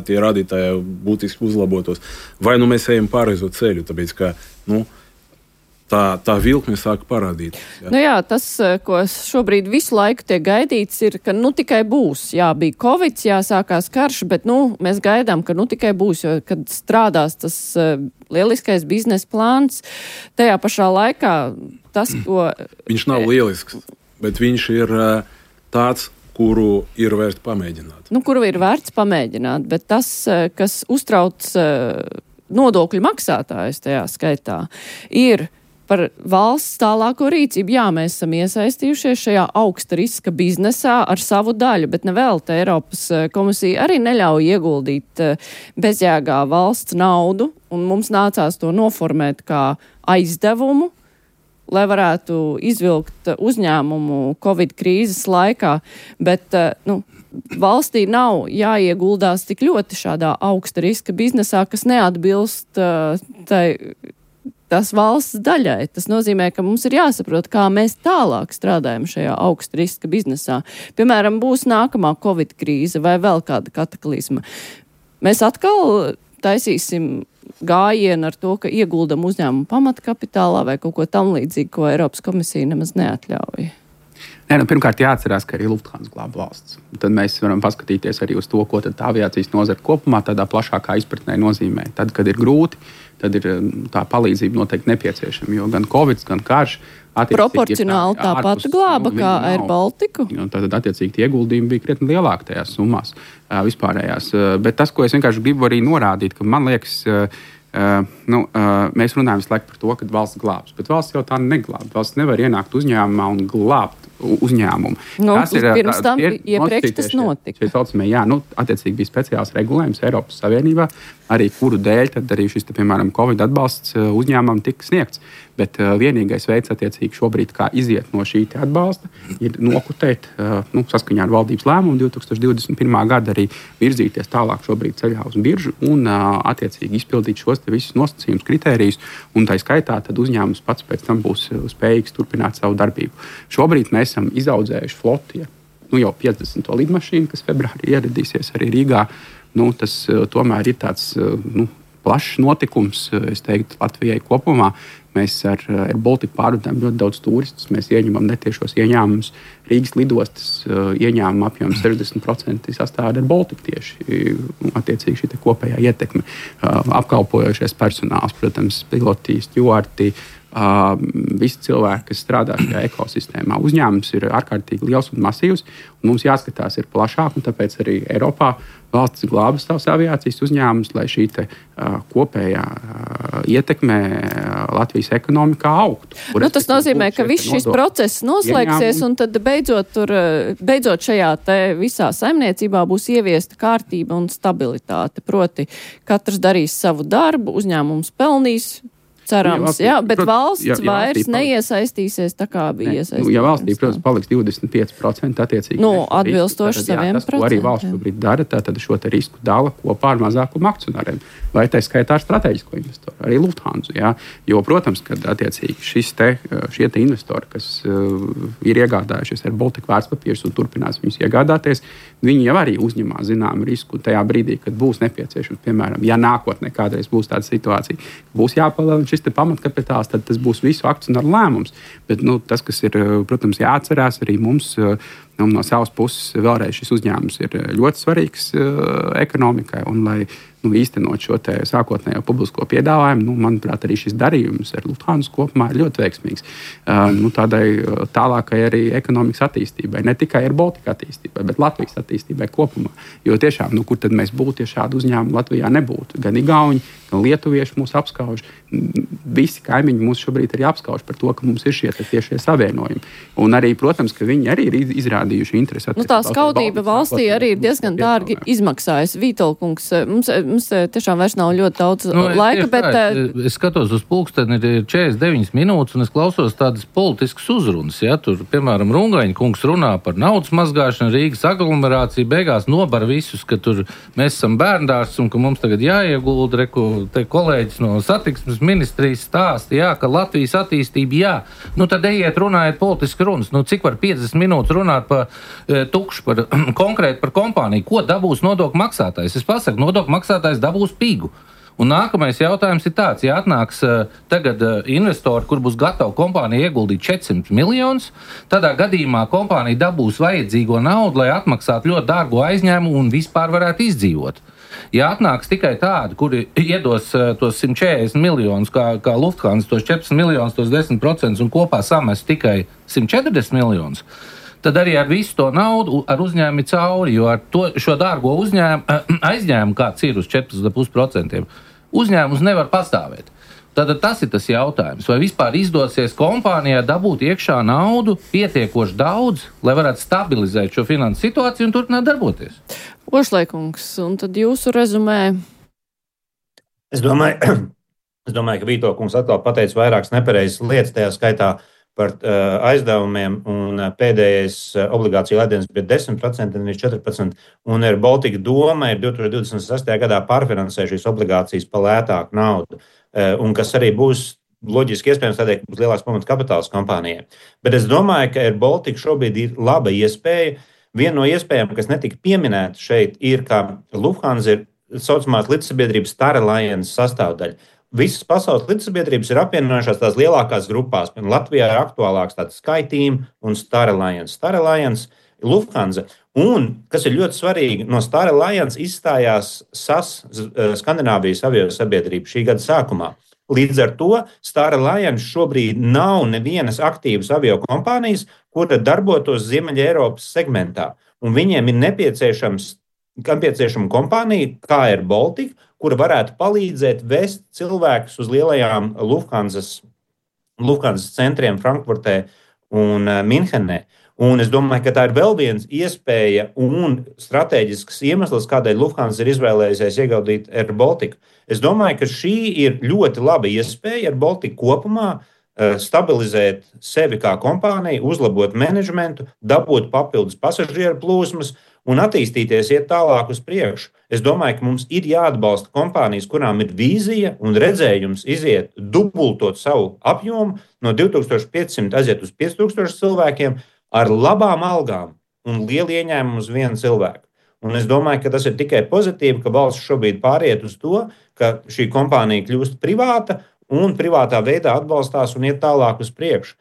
tie radītāji būtiski uzlabotos. Vai mēs ejam pareizo ceļu, tāpēc ka tā vilkme sāk parādīt. Jā. Tas, ko šobrīd visu laiku tiek gaidīts, ir, ka tikai būs. Jā, bija Covid, sākās karš, bet mēs gaidām, ka tikai būs, jo kad strādās tas lieliskais biznesa plāns, tajā pašā laikā tas, ko... Viņš nav lielisks, bet viņš ir tāds, kuru ir vērts pamēģināt. Kuru ir vērts pamēģināt, bet tas, kas uztrauc nodokļu maksātājus tajā skaitā, ir par valsts tālāko rīcību. Jā, mēs esam iesaistījušies šajā augsta riska biznesā ar savu daļu, bet nevēlta Eiropas komisija arī neļauj ieguldīt bezjēgā valsts naudu, un mums nācās to noformēt kā aizdevumu, lai varētu izvilkt uzņēmumu Covid krīzes laikā, bet valstī nav jāieguldās tik ļoti šādā augsta riska biznesā, kas neatbilst tas valsts daļai. Tas nozīmē, ka mums ir jāsaprot, kā mēs tālāk strādājam šajā augsta riska biznesā. Piemēram, būs nākamā Covid krīze vai vēl kāda kataklizma. Mēs atkal taisīsim gājienu ar to, ka ieguldam uzņēmumu pamatkapitālā vai kaut ko tam līdzīgu, ko Eiropas komisija nemaz neatļauj. Pirmkārt, jāatcerās, ka arī Lufthansa glāb valsts. Tad mēs varam paskatīties arī uz to, ko tad tā aviācijas nozara kopumā tādā plašākā izpratnē nozīmē. Tad, kad ir grūti, tad ir tā palīdzība noteikti nepieciešama, jo gan Covid, gan karš proporcionāli tāpat glāba kā Air Baltiku. Tad attiecīgi tie ieguldījumi bija krietni lielāki tajās summās vispārējās. Bet tas, ko es vienkārši gribu arī norādīt, ka man liekas, mēs runājam visu laiku par to, ka valsts glābs, bet valsts jau tā neglāb. Valsts nevar ienākt uzņēmumā un glābt uzņēmumu. Pirms tam iepriekš tas notika. Attiecīgi bija speciāls regulējums Eiropas Savienībā, arī kuru dēļ tad arī šis, piemēram, Covid atbalsts uzņēmumam tika sniegts. Bet vienīgais veids, attiecīgi šobrīd, kā iziet no šī atbalsta, ir nokutēt, saskaņā ar valdības lēmumu 2021. Gada arī virzīties tālāk šobrīd ceļā uz biržu un, attiecīgi, izpildīt šos visus nosacījumus, kritērijus, un tā skaitā tad uzņēmums pats pēc tam būs spējīgs turpināt savu darbību. Šobrīd mēs esam izaudzējuši floti, jau 50. lidmašīnu, kas februārī ieradīsies arī Rīgā. Tas tomēr ir tāds plašs notikums, es teiktu, Latvijai kopumā. Mēs ar Air Baltiku pārvadājam ļoti daudz turistus, mēs ieņemam netiešos ieņēmumus. Rīgas lidostas ieņēmuma apjoms 60% sastāv Air Baltiku tieši, attiecīgi šī kopējā ietekme. Apkalpojošais personāls, protams, piloti, stjuarti, visi cilvēki, kas strādā šajā ekosistēmā. Uzņēmums ir ārkārtīgi liels un masīvs, un mums jāskatās ir plašāk, un tāpēc arī Eiropā valsts glāba savus aviācijas uzņēmumus, lai šī kopējā ietekme Latvijas ekonomikā augtu. Tas nozīmē, ka viss šis process noslēgsies, un tad beidzot šajā visā saimniecībā būs ieviesta kārtība un stabilitāte. Proti, katrs darīs savu darbu, uzņēmums pelnīs. Cerams, bet valsts vairs neiesaistīsies tā kā bija iesaistīta. Ja valstī, protams, paliks 25% attiecīgi. Atbilstoši saviem procentiem. Tas, ko arī valsts šobrīd dara, tad šo risku dala kopā ar mazākumu akcionāriem. Vai tā skaitā ar strateģisko investoru, arī Lufthansa. Jo, protams, kad attiecīgi šie investori, kas ir iegādājušies ar Baltic vērtspapīrus un turpinās viņus iegādāties, viņi jau arī uzņemās zināmu risku tajā brīdī, kad būs nepieciešams, piemēram, ja nākotnē kādreiz būs tāda situācija, būs jāpalielina šis pamatkapitāls, tad tas būs visu akcionāru lēmums. Bet tas, kas ir, protams, jāatcerās arī mums, no savas puses, vēlreiz šis uzņēmums ir ļoti svarīgs ekonomikai, un lai īstenot šo sākotnējo publisko piedāvājumu, manuprāt, arī šis darījums ar Lufthansa kopumā ir ļoti veiksmīgs. Tādai tālākai arī ekonomikas attīstībai, ne tikai ar Baltika attīstībai, bet Latvijas attīstībai kopumā. Jo tiešām, kur tad mēs būtu, ja šādu uzņēmumu Latvijā nebūtu? Gan igauņi, gan lietuvieši mūs apskauž. Visi kaimiņi mūs šobrīd arī apskauž par to, ka mums ir šie tiešie savienojumi. Un arī, protams, ka viņi arī ir izrādījuši interesi. Tā skaudība valstī arī ir diezgan dārgi izmaksājusi. Vītolkungs, mums tiešām vairs nav ļoti daudz laika, bet... Es skatos uz pulksteni, ir 49 minūtes, un es klausos tādas politiskas uzrunas. Tur, piemēram, Rungaņa kungs runā par naudas mazgāšanu, Rīgas aglomerāciju, beigās nobar visus, ka tur mēs esam bērndārs un ka mums tagad jāiegulda, te kolēģis no satiksmes ministrijas stāsta, ka Latvijas attīstība, tad ejiet runājiet politiski runas. Cik var 50 minūtes runāt par tukšu, konkrēti par kompāniju? Ko dabūs nodokļu maksātājs? Es pasaku, nodokļu maksātājs dabūs pigu. Un nākamais jautājums ir tāds, ja atnāks tagad investori, kur būs gatava kompānija ieguldīt 400 miljonus, tādā gadījumā kompānija dabūs vajadzīgo naudu, lai atmaksātu ļoti dārgo aizņēmumu un vispār varētu izdzīvot. Ja atnāks tikai tādi, kuri iedos tos 140 miljonus, kā Lufthansa, tos 14 miljonus, tos 10% un kopā samest tikai 140 miljonus, tad arī ar visu to naudu ar uzņēmumu cauri, jo ar šo dārgo aizņēmumu, kāds ir uz 4,5%, uzņēmums nevar pastāvēt. Tad tas ir tas jautājums, vai vispār izdosies kompānijā dabūt iekšā naudu pietiekoši daudz, lai varētu stabilizēt šo finansu situāciju un turpināt darboties. Ošlaikungs, un tad jūsu rezumē? Es domāju, ka Vītolkungs atkal pateica vairākas nepareizas lietas, tajā skaitā par aizdevumiem, un pēdējais obligāciju lēdiens bija 10%, nevis 14%, un Air Baltica doma ir 2026. gadā pārfinansē šīs obligācijas pa lētāku naudu, un kas arī būs loģiski iespējams tādēļ, ka būs lielāks pamata kapitāls kompānijai. Bet es domāju, ka Air Baltica šobrīd ir laba iespēja. Viena no iespējām, kas netika pieminēta šeit, ir, ka Lufthansa ir saucamās līdzsabiedrības Star Alliance sastāvdaļa. Visas pasaules līdzsabiedrības ir apvienojušās tās lielākās grupās. Latvijā ir aktuālāks tāds SkyTeam un Star Alliance. Star Alliance ir Lufthansa. Un, kas ir ļoti svarīgi, no Star Alliance izstājās SAS, Skandināvijas aviosabiedrība, šī gada sākumā. Līdz ar to Star Alliance šobrīd nav nevienas aktīvas aviokompānijas, kura darbotos Ziemeļa Eiropas segmentā. Un viņiem ir nepieciešama kompānija, kā Air Baltica, kura varētu palīdzēt vest cilvēkus uz lielajām Lufthansa centriem Frankfurtē un Minhenē. Un es domāju, ka tā ir vēl viens iespēja un strateģisks iemesls, kādēļ Lufthansa ir izvēlējusies ieguldīt Air Baltica. Es domāyu, ka šī ir ļoti laba iespēja Air Baltica kopumā stabilizēt sevi kā kompāniju, uzlabot menedžmentu, dabūt papildus pasažieru plūsmas un attīstīties, iet tālāk uz priekšu. Es domāju, ka mums ir jāatbalsta kompānijas, kurām ir vīzija un redzējums iziet, dubultot savu apjomu no 2500 aiziet uz 5000 cilvēkiem ar labām algām un lielu ieņēmumu uz vienu cilvēku. Un es domāju, ka tas ir tikai pozitīvi, ka valsts šobrīd pāriet uz to, ka šī kompānija kļūst privāta un privātā veidā atbalstās un iet tālāk uz priekšu.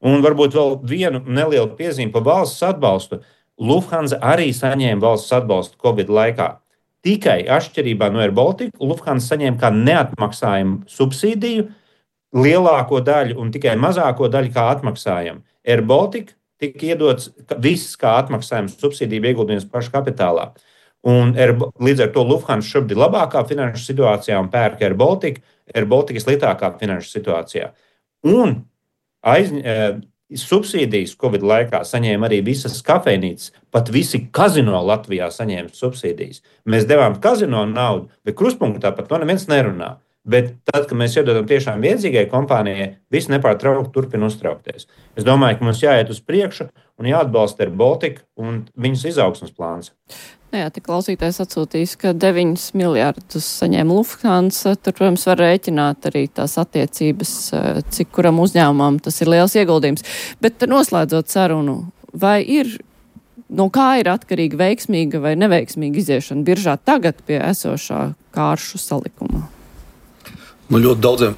Un varbūt vēl vienu nelielu piezīmi par valsts atbalstu. Lufthansa arī saņēma valsts atbalstu Covid laikā. Tikai atšķirībā no Air Baltica, Lufthansa saņēma kā neatmaksājumu subsīdiju lielāko daļu un tikai mazāko daļu kā atmaksājam. Air Baltica tika iedots viss kā atmaksājums, subsīdija ieguldījums pašu kapitālā. Un līdz ar to Lufthansa šobrīd ir labākā finanšu situācijā un pērk Air Baltica. Air Baltica ir sliktākā finanšu situācijā. Un subsīdijas Covid laikā saņēma arī visas kafejnīcas, pat visi kazino Latvijā saņēma subsīdijas. Mēs devām kazino naudu, bet krustpunktā par to neviens nerunā. Bet tad, kad mēs iedodam tiešām viedzīgai kompānijai, viss nepārtraukti turpina uztraukties. Es domāju, ka mums jāiet uz priekšu un jāatbalsta Air Baltica un viņas izaugsmes plāns. Jā, tik klausītājs atsūtīs, ka 9 miljardus saņēma Lufthansa. Tur, protams, var rēķināt arī tās attiecības, cik kuram uzņēmumam tas ir liels ieguldījums. Bet noslēdzot sarunu, vai no kā ir atkarīga veiksmīga vai neveiksmīga iziešana biržā tagad pie esošā kāršu salikuma? Ļoti daudziem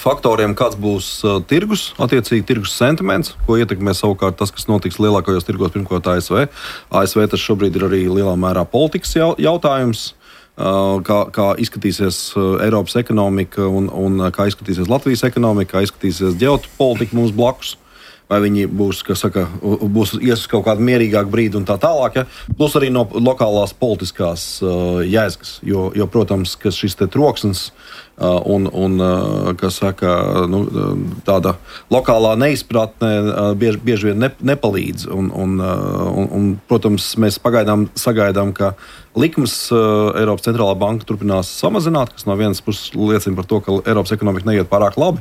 faktoriem, kāds būs tirgus, attiecīgi tirgus sentiments, ko ietekmē savukārt tas, kas notiks lielākajos tirgos, pirmkārt ASV. ASV tas šobrīd ir arī lielā mērā politikas jautājums, kā izskatīsies Eiropas ekonomika un kā izskatīsies Latvijas ekonomika, kā izskatīsies ģeopolitika mums blakus. Vai viņi būs ies uz kaut kādu mierīgāku brīdi un tā tālāk. Ja? Plus arī no lokālās politiskās jēzgas, jo protams, ka šis te troksnis un tāda lokālā neizpratne bieži vien nepalīdz. Un, protams, mēs pagaidām sagaidām, ka likmes Eiropas centrālā banka turpinās samazināt, kas no vienas puses liecina par to, ka Eiropas ekonomika neiet pārāk labi.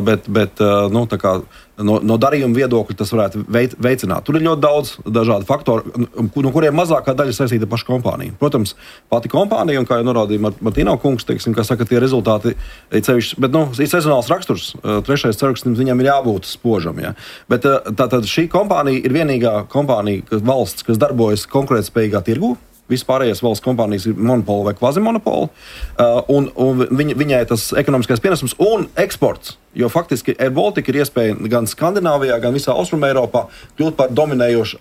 Bet no darījuma viedokļa tas varētu veicināt. Tur ir ļoti daudz dažādu faktoru, no kuriem mazākā daļa saistīta ar pašu kompāniju. Protams, pati kompānija, un kā jau norādīja Martīno kungs, teiksim, kā saka, tie rezultāti ir sevišķi, bet ir sezonāls raksturs. Trešais ceturksnis viņam ir jābūt spožam. Ja? Bet tātad šī kompānija ir vienīgā kompānija valsts, kas darbojas konkurētspējīgā tirgū. Vispārējās valsts kompānijas ir monopoli vai kvazimonopoli, un viņai tas ekonomiskais pienesums un eksports, jo faktiski Air Baltica ir iespēja gan Skandināvijā, gan visā Austrumē Eiropā kļūt par dominējošu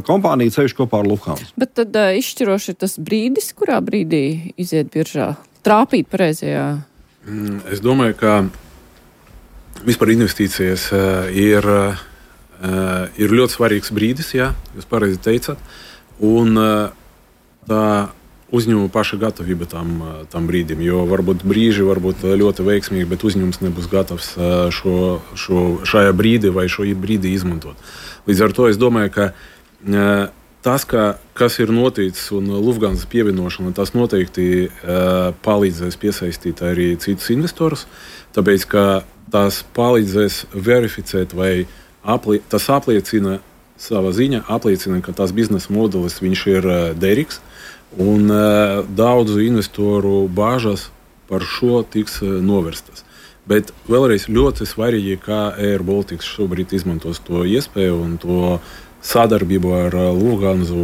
kompāniju, sevišķi kopā ar Lufthansa. Bet tad izšķiroši ir tas brīdis, kurā brīdī iziet biržā, trāpīt pareizajā? Es domāju, ka vispār investīcijas ir ļoti svarīgs brīdis, jā, jūs pareizi teicat, un tā uzņēmuma paša gatavība tam brīdim, jo varbūt brīži varbūt ļoti veiksmīgi, bet uzņēmums nebūs gatavs šajā brīdī vai šo brīdi izmantot. Līdz ar to es domāju, ka tas, kas ir noticis un Lufthansa pievienošana, tas noteikti palīdzēs piesaistīt arī citus investorus, tāpēc, ka tas palīdzēs verificēt vai tas apliecina savā ziņā, ka tās biznesa modelis viņš ir derīgs. Un daudzu investoru bāžas par šo tiks novērstas. Bet vēlreiz ļoti svarīgi, kā Air Baltica šobrīd izmantos to iespēju un to sadarbību ar Lufthansu.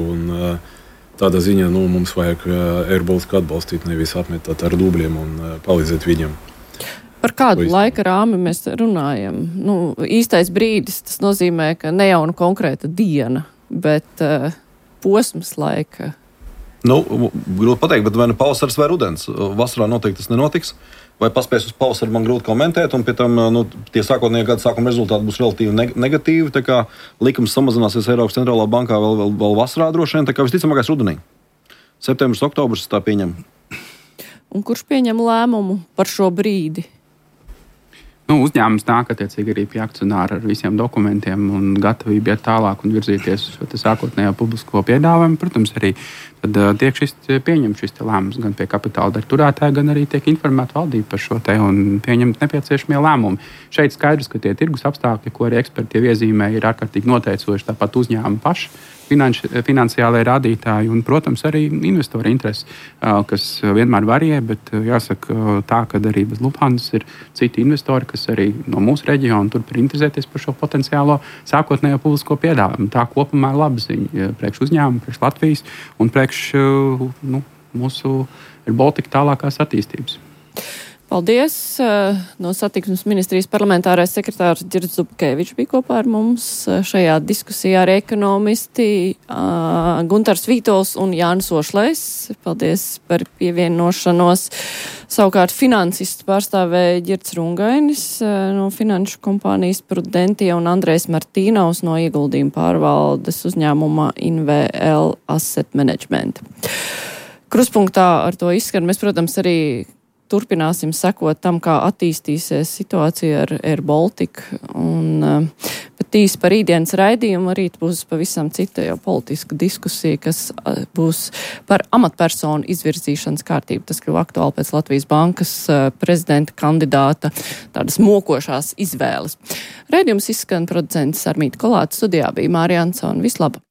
Tādā ziņā mums vajag Air Baltica atbalstīt, nevis apmetāt ar dubļiem un palīdzēt viņam. Par kādu laika rāmi mēs runājam? Īstais brīdis, tas nozīmē, ka ne jau konkrēta diena, bet posms laika. Grūti pateikt, bet vai pavasaris vai rudens? Vasarā noteikti tas nenotiks. Vai paspēs uz pavasaru, man grūti komentēt, un pie tam tie sākotnējie gada sākuma rezultāti būs relatīvi negatīvi. Tā kā likums samazināsies Eiropas centrālā bankā vēl vasarā droši vien, tā kā visticamākais rudenī. Septembris, oktobris tā pieņem. Un kurš pieņem lēmumu par šo brīdi? Uzņēmums nāk attiecīgi arī pie akcionāra ar visiem dokumentiem un gatavību iet tālāk un virzīties uz šo sākotnējo publisko piedāvājumu. Protams, arī tad tiek pieņemts šis lēmums gan pie kapitāla daļu turētāja, gan arī tiek informēta valdība par šo un pieņemt nepieciešamie lēmumi. Šeit skaidrs, ka tie tirgus apstākļi, ko arī eksperti jau iezīmē, ir ārkārtīgi noteicoši, tāpat uzņēmumi paši. Finansiālai rādītāji un, protams, arī investori interesi, kas vienmēr varie, bet jāsaka tā, ka arī bez Lufthansa ir citi investori, kas arī no mūsu reģiona turpina interesēties par šo potenciālo sākotnējo publisko piedāvājumu. Tā kopumā ir laba ziņa priekš uzņēmumu, priekš Latvijas un priekš mūsu Air Baltica tālākās attīstības. Paldies. No Satiksmes ministrijas parlamentārais sekretārs Ģirds Zubkevičs bija kopā ar mums šajā diskusijā ar ekonomisti Guntars Vītols un Jānis Ošlejs. Paldies par pievienošanos. Savukārt finansistu pārstāvēja Ģirds Rungainis no finanšu kompānijas Prudentia un Andrejs Martīnaus no ieguldījuma pārvaldes uzņēmuma InVL Asset Management. Kruspunktā ar to izskan. Mēs, protams, arī turpināsim sekot tam, kā attīstīsies situācija ar Air Baltic. Bet īsi par rītdienas raidījumu arī būs pavisam cita jau politiska diskusija, kas būs par amatpersonu izvirzīšanas kārtību. Tas kļuva aktuāli pēc Latvijas Bankas prezidenta kandidāta tādas mokošās izvēles. Raidījums izskan producents Armīta Kolāta, studijā bija Mārija Ansone. Vislabāk!